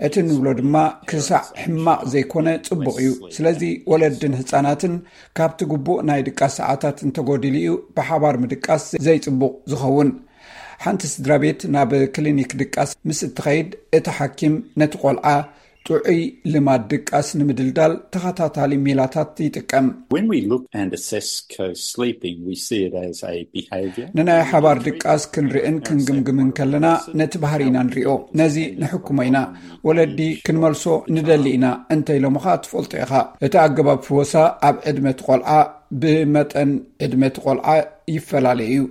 እቲ ንብሎ ድማ ክሳዕ ሕማቕ ዘይኮነ ጽቡቕ እዩ። ስለዚ ወለድን ህጻናትን ካብቲ ግቡእ ናይ ድቃስ ሰዓታት እንተጎዲሉ እዩ ብሓባር ምድቃስ ዘይጽቡቕ ዝኸውን። ሓንቲ ስድራ ቤት ናብ ክሊኒክ ድቃስ ምስ እትኸይድ፣ እቲ ሓኪም ነቲ ቆልዓ ጥዑይ ልማድ ድቃስ ንምድልዳል ተኸታታሊ ሜላታት ይጥቀም። When we look and assess co-sleeping, we see it as a behaviour. ንናይ ሓባር ድቃስ ክንርእን ክንግምግምን ከለና ነቲ ባህሪ ኢና ንሪኦ። ነዚ ንሕክሞ ኢና። ወለዲ ክንመልሶ ንደሊ ኢና እንተ ኢሎምኻ ትፈልጦ ኢኻ። እቲ ኣገባብ ፍወሳ ኣብ ዕድመ እቲ ቆልዓ ብመጠን ዕድመ እቲ ቆልዓ ይፈላለ እዩ።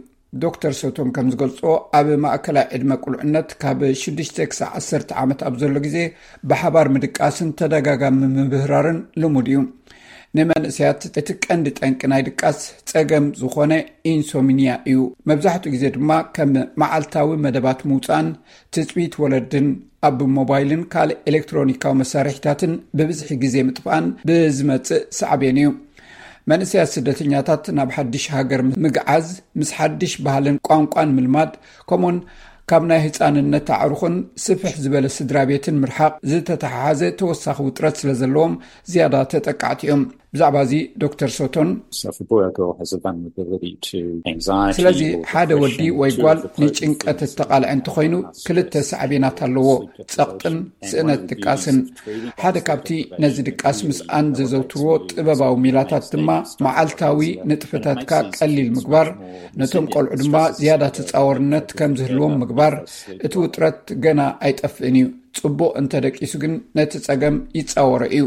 ዶክተር ሶቶን ከም ዝገልጾ፣ ኣብ ማእከላይ ዕድመ ቁልዕነት ካብ ሽዱሽተ ክሳብ ዓሰርተ ዓመት ኣብ ዘሎ ግዜ ብሓባር ምድቃስን ተደጋጋሚ ምብህራርን ልሙድ እዩ። ንመንእሰያት እቲ ቀንዲ ጠንቂ ናይ ድቃስ ጸገም ዝኾነ ኢንሶሚንያ እዩ። መብዛሕትኡ ግዜ ድማ ከም መዓልታዊ መደባት ምውጻእን ትጽቢት ወለድን ኣብ ሞባይልን ካልእ ኤሌክትሮኒካዊ መሳርሒታትን ብብዝሒ ግዜ ምጥፋእን ብዝመጽእ ሳዕቤን እዩ። መንእሰያት ስደተኛታት ናብ ሓድሽ ሃገር ምግዓዝ፣ ምስ ሓድሽ ባህልን ቋንቋን ምልማድ፣ ከምኡውን ካብ ናይ ህጻንነት ኣዕሩኽን ስፍሕ ዝበለ ስድራ ቤትን ምርሓቕ ዝተተሓሓዘ ተወሳኺ ውጥረት ስለ ዘለዎም ዝያዳ ተጠቃዕቲ እዮም። ብዛዕባ እዚ ዶክተር ሶቶን፣ So if a boy or girl has a vulnerability to anxiety ስለዚ or ሓደ ወዲ depression, ወይ two ጓል of the coping ንጭንቀት things እተቓልዐ are እንተኾይኑ፣ stress ክልተ ሳዕቤናት ኣለዎ፣ ጸቕጥን ስእነት ድቃስን። ሓደ ካብቲ ነዚ ድቃስ ምስኣን ዘዘውትርዎ ጥበባዊ ሜላታት ድማ መዓልታዊ ንጥፈታትካ ቀሊል ምግባር፣ ነቶም ቆልዑ ድማ ዝያዳ ተጻወርነት ከም ዝህልዎም ምግባር። እቲ ውጥረት ገና ኣይጠፍእን እዩ። ጽቡቕ እንተደቂሱ ግን ነቲ ጸገም ይጻወሮ እዩ።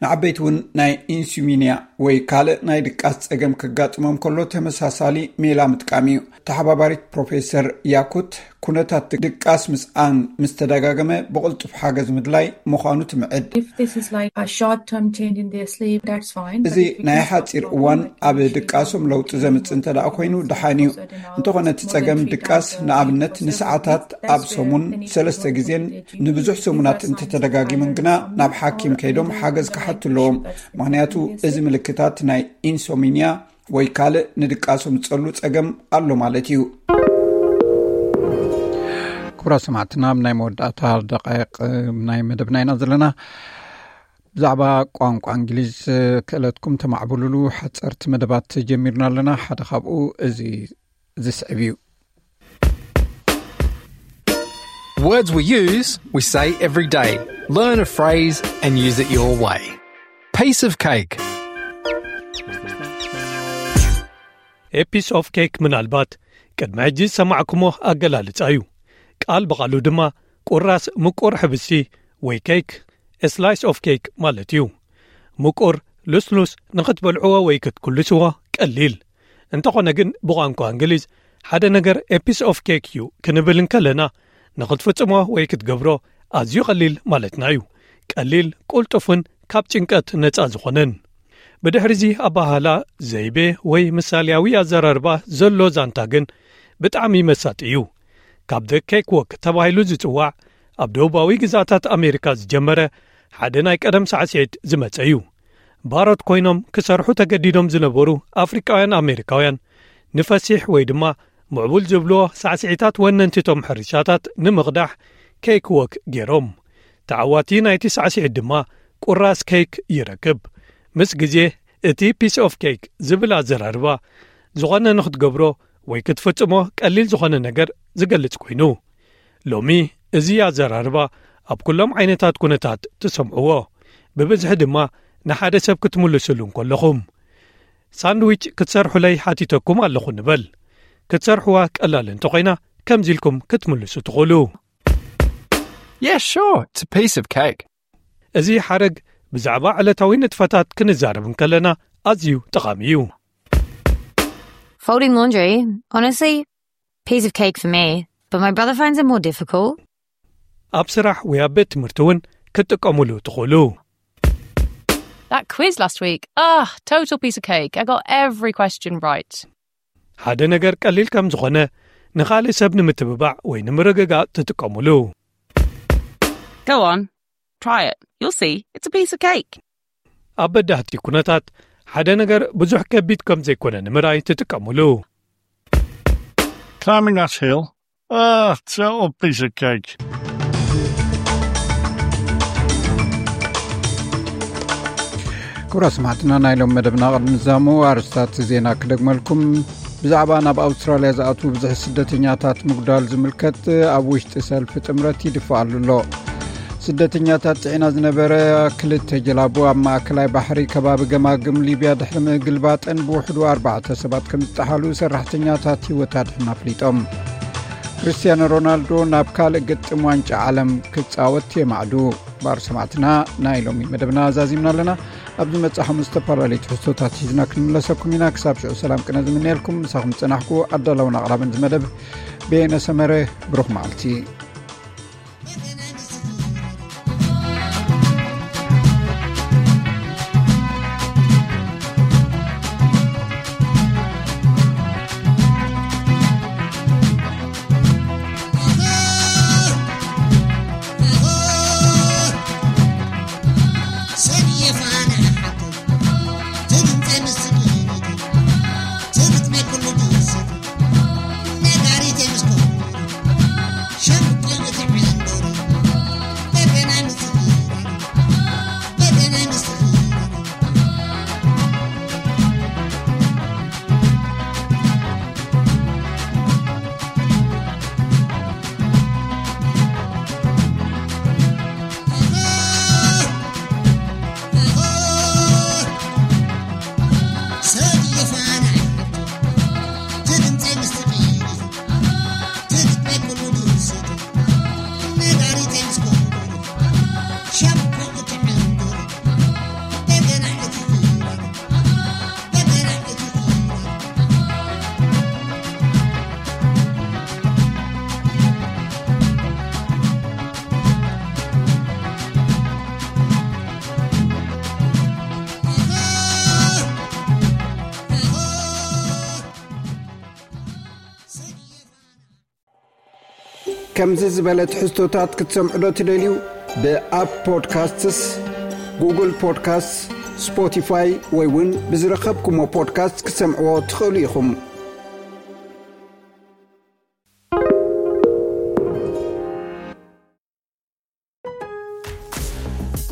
ንዓበይቲ እውን ናይ ኢንሱሚንያ ወይ ካልእ ናይ ድቃስ ጸገም ከጋጥሞም ከሎ ተመሳሳሊ ሜላ ምጥቃም እዩ። ተሓባባሪት ፕሮፌሰር ያኩት፣ ኩነታት ድቃስ ምስኣን ምስ ተደጋገመ ብቕልጡፍ ሓገዝ ምድላይ ምዃኑ ትምዕድ። If this is like a short term change in their sleep, that's fine. እዚ ናይ ሓጺር እዋን ኣብ ድቃሶም ለውጢ ዘምጽእ እንተ ደኣ ኮይኑ ደሓን እዩ። እንተኾነ እቲ ጸገም ድቃስ ንኣብነት ንሰዓታት ኣብ ሰሙን ሰለስተ ግዜን ንብዙሕ ሰሙናት እንተተደጋጊሙን ግና ናብ ሓኪም ከይዶም ሓገዝ ክሓቱ ኣለዎም። ምኽንያቱ እዚ ምልክታት ናይ ኢንሶሚንያ ወይ ካልእ ንድቃሶም ዝጸሉ ጸገም ኣሎ ማለት እዩ። ክቡራት ሰማዕትና፣ ኣብ ናይ መወዳእታ ደቃይቕ ናይ መደብና ኢና ዘለና። ብዛዕባ ቋንቋ እንግሊዝ ክእለትኩም ተማዕብሉሉ ሓጸርቲ መደባት ጀሚርና ኣለና። ሓደ ካብኡ እዚ ዝስዕብ እዩ። Words we use, we say every day. Learn a phrase and use it your way. Piece of cake. A piece of cake ምናልባት ቅድሚ ሕጂ ዝሰማዕኩሞ ኣገላልጻ እዩ። ቃል ብቓሉ ድማ ቁራስ ምቁር ሕብስቲ ወይ ኬክ፣ a slice of cake ማለት እዩ። ምቁር፣ ልስሉስ፣ ንኽትበልዕዎ ወይ ክትኩልስዎ ቀሊል። እንተኾነ ግን ብቋንቋ እንግሊዝ ሓደ ነገር a piece of cake እዩ ክንብል እንከለና ንኽትፍጽሞ ወይ ክትገብሮ ኣዝዩ ቀሊል ማለትና እዩ። ቀሊል፣ ቁልጡፍን ካብ ጭንቀት ነጻ ዝኾነን። ብድሕሪዚ ኣባሃላ ዘይቤ ወይ ምሳልያዊ ኣዘራርባ ዘሎ ዛንታ ግን ብጣዕሚ መሳጢ እዩ። ካብ The Cake Walk ተባሂሉ ዝጽዋዕ ኣብ ደቡባዊ ግዛታት ኣሜሪካ ዝጀመረ ሓደ ናይ ቀደም ሳዕስዒት ዝመጸ እዩ። ባሮት ኮይኖም ክሰርሑ ተገዲዶም ዝነበሩ ኣፍሪቃውያን ኣሜሪካውያን ንፈሲሕ ወይ ድማ ምዕቡል ዝብልዎ ሳዕስዒታት ወነንቲቶም ሕርሻታት ንምቕዳሕ ኬክ ወክ ገይሮም። ተዓዋቲ ናይቲ ሳዕስዒት ድማ ቁራስ ኬክ ይረክብ። ምስ ግዜ እቲ piece of cake ዝብል ኣዘራርባ ዝኾነ ንኽትገብሮ ወይ ክትፍጽሞ ቀሊል ዝኾነ ነገር ዝገልጽ ኮይኑ፣ ሎሚ እዚ ኣዘራርባ ኣብ ኩሎም ዓይነታት ኩነታት ትሰምዕዎ። ብብዝሒ ድማ ንሓደ ሰብ ክትምልስሉ እንከለኹም። ሳንድዊች ክትሰርሑለይ ሓቲተኩም ኣለኹ ንበል። ክትሰርሕዋ ቀላል እንተኾይና ከምዚ ኢልኩም ክትምልሱ ትኽእሉ። Yeah, sure, it's a piece of cake. እዚ ሓረግ ብዛዕባ ዕለታዊ ንጥፈታት ክንዛረብ እንከለና ኣዝዩ ጠቓሚ እዩ። Folding laundry, honestly, piece of cake for me. But my brother finds it more difficult. ኣብ ስራሕ ወይ ኣብ ቤት ትምህርቲ እውን ክትጥቀሙሉ ትኽእሉ። That quiz last week, ah, total piece of cake. I got every question right. ሓደ ነገር ቀሊል ከም ዝኾነ ንኻልእ ሰብ ንምትብባዕ ወይ ንምርግጋእ ትጥቀሙሉ። Go on, try it. You'll see, it's a piece of cake. ኣብ በዳህቲ ኩነታት ሓደ ነገር ብዙሕ ከቢድ ከም ዘይኮነ ንምርኣይ ትጥቀሙሉ። Climbing that hill, ah, it's a little piece of cake. ክቡራት ሰማዕትና፣ ናይ ሎም መደብና ቅድሚ ምዛሙ ኣርስታት ዜና ክደግመልኩም። ብዛዕባ ናብ ኣውስትራልያ ዝኣትዉ ብዙሕ ስደተኛታት ምጉዳል ዝምልከት ኣብ ውሽጢ ሰልፊ ጥምረት ይድፋኣሉ ኣሎ። ስደተኛታት ጽዒና ዝነበረ ክልተ ጀላቡ ኣብ ማእከላይ ባሕሪ ከባቢ ገማግም ሊብያ ድሕሪ ምግልባጠን ብውሕዱ ኣርባዕተ ሰባት ከም ዝጠሓሉ ሰራሕተኛታት ህይወት ኣድሕን ኣፍሊጦም። ክርስቲያኖ ሮናልዶ ናብ ካልእ ግጥም ዋንጫ ዓለም ክጻወት የማዕዱ። ባር ሰማዕትና፣ ናይ ሎሚ መደብና ዛዚምና ኣለና። ኣብ ዝመጽእ ሓሙስ ዝተፈላለዩ ትሕዝቶታት ሒዝና ክንምለሰኩም ኢና። ክሳብ ሽዑ ሰላም ቅነ ዝምነየልኩም። ምሳኹም ዝጸናሕኩ ኣዳላውን ኣቕራብን ዝመደብ በየነ ሰመረ። ብሩኽ መዓልቲ። ከምዚ ዝበለ ትሕዝቶታት ክትሰምዑ ዶ ትደልዩ? ብኣፕ ፖድካስትስ፣ ጉግል ፖድካስትስ፣ ስፖቲፋይ ወይ እውን ብዝረኸብኩሞ ፖድካስት ክትሰምዕዎ ትኽእሉ ኢኹም።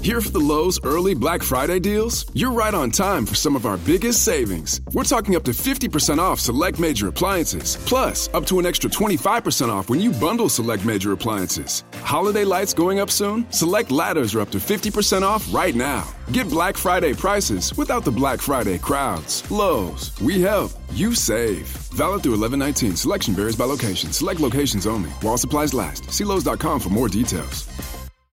Here for the Lowe's early Black Friday deals? You're right on time for some of our biggest savings. We're talking up to fifty percent off select major appliances, plus up to an extra twenty-five percent off when you bundle select major appliances. Holiday lights going up soon? Select ladders are up to fifty percent off right now. Get Black Friday prices without the Black Friday crowds. Lowe's, we help, you save. Valid through eleven nineteen. Selection varies by location. Select locations only. While supplies last. See Lowe's dot com for more details.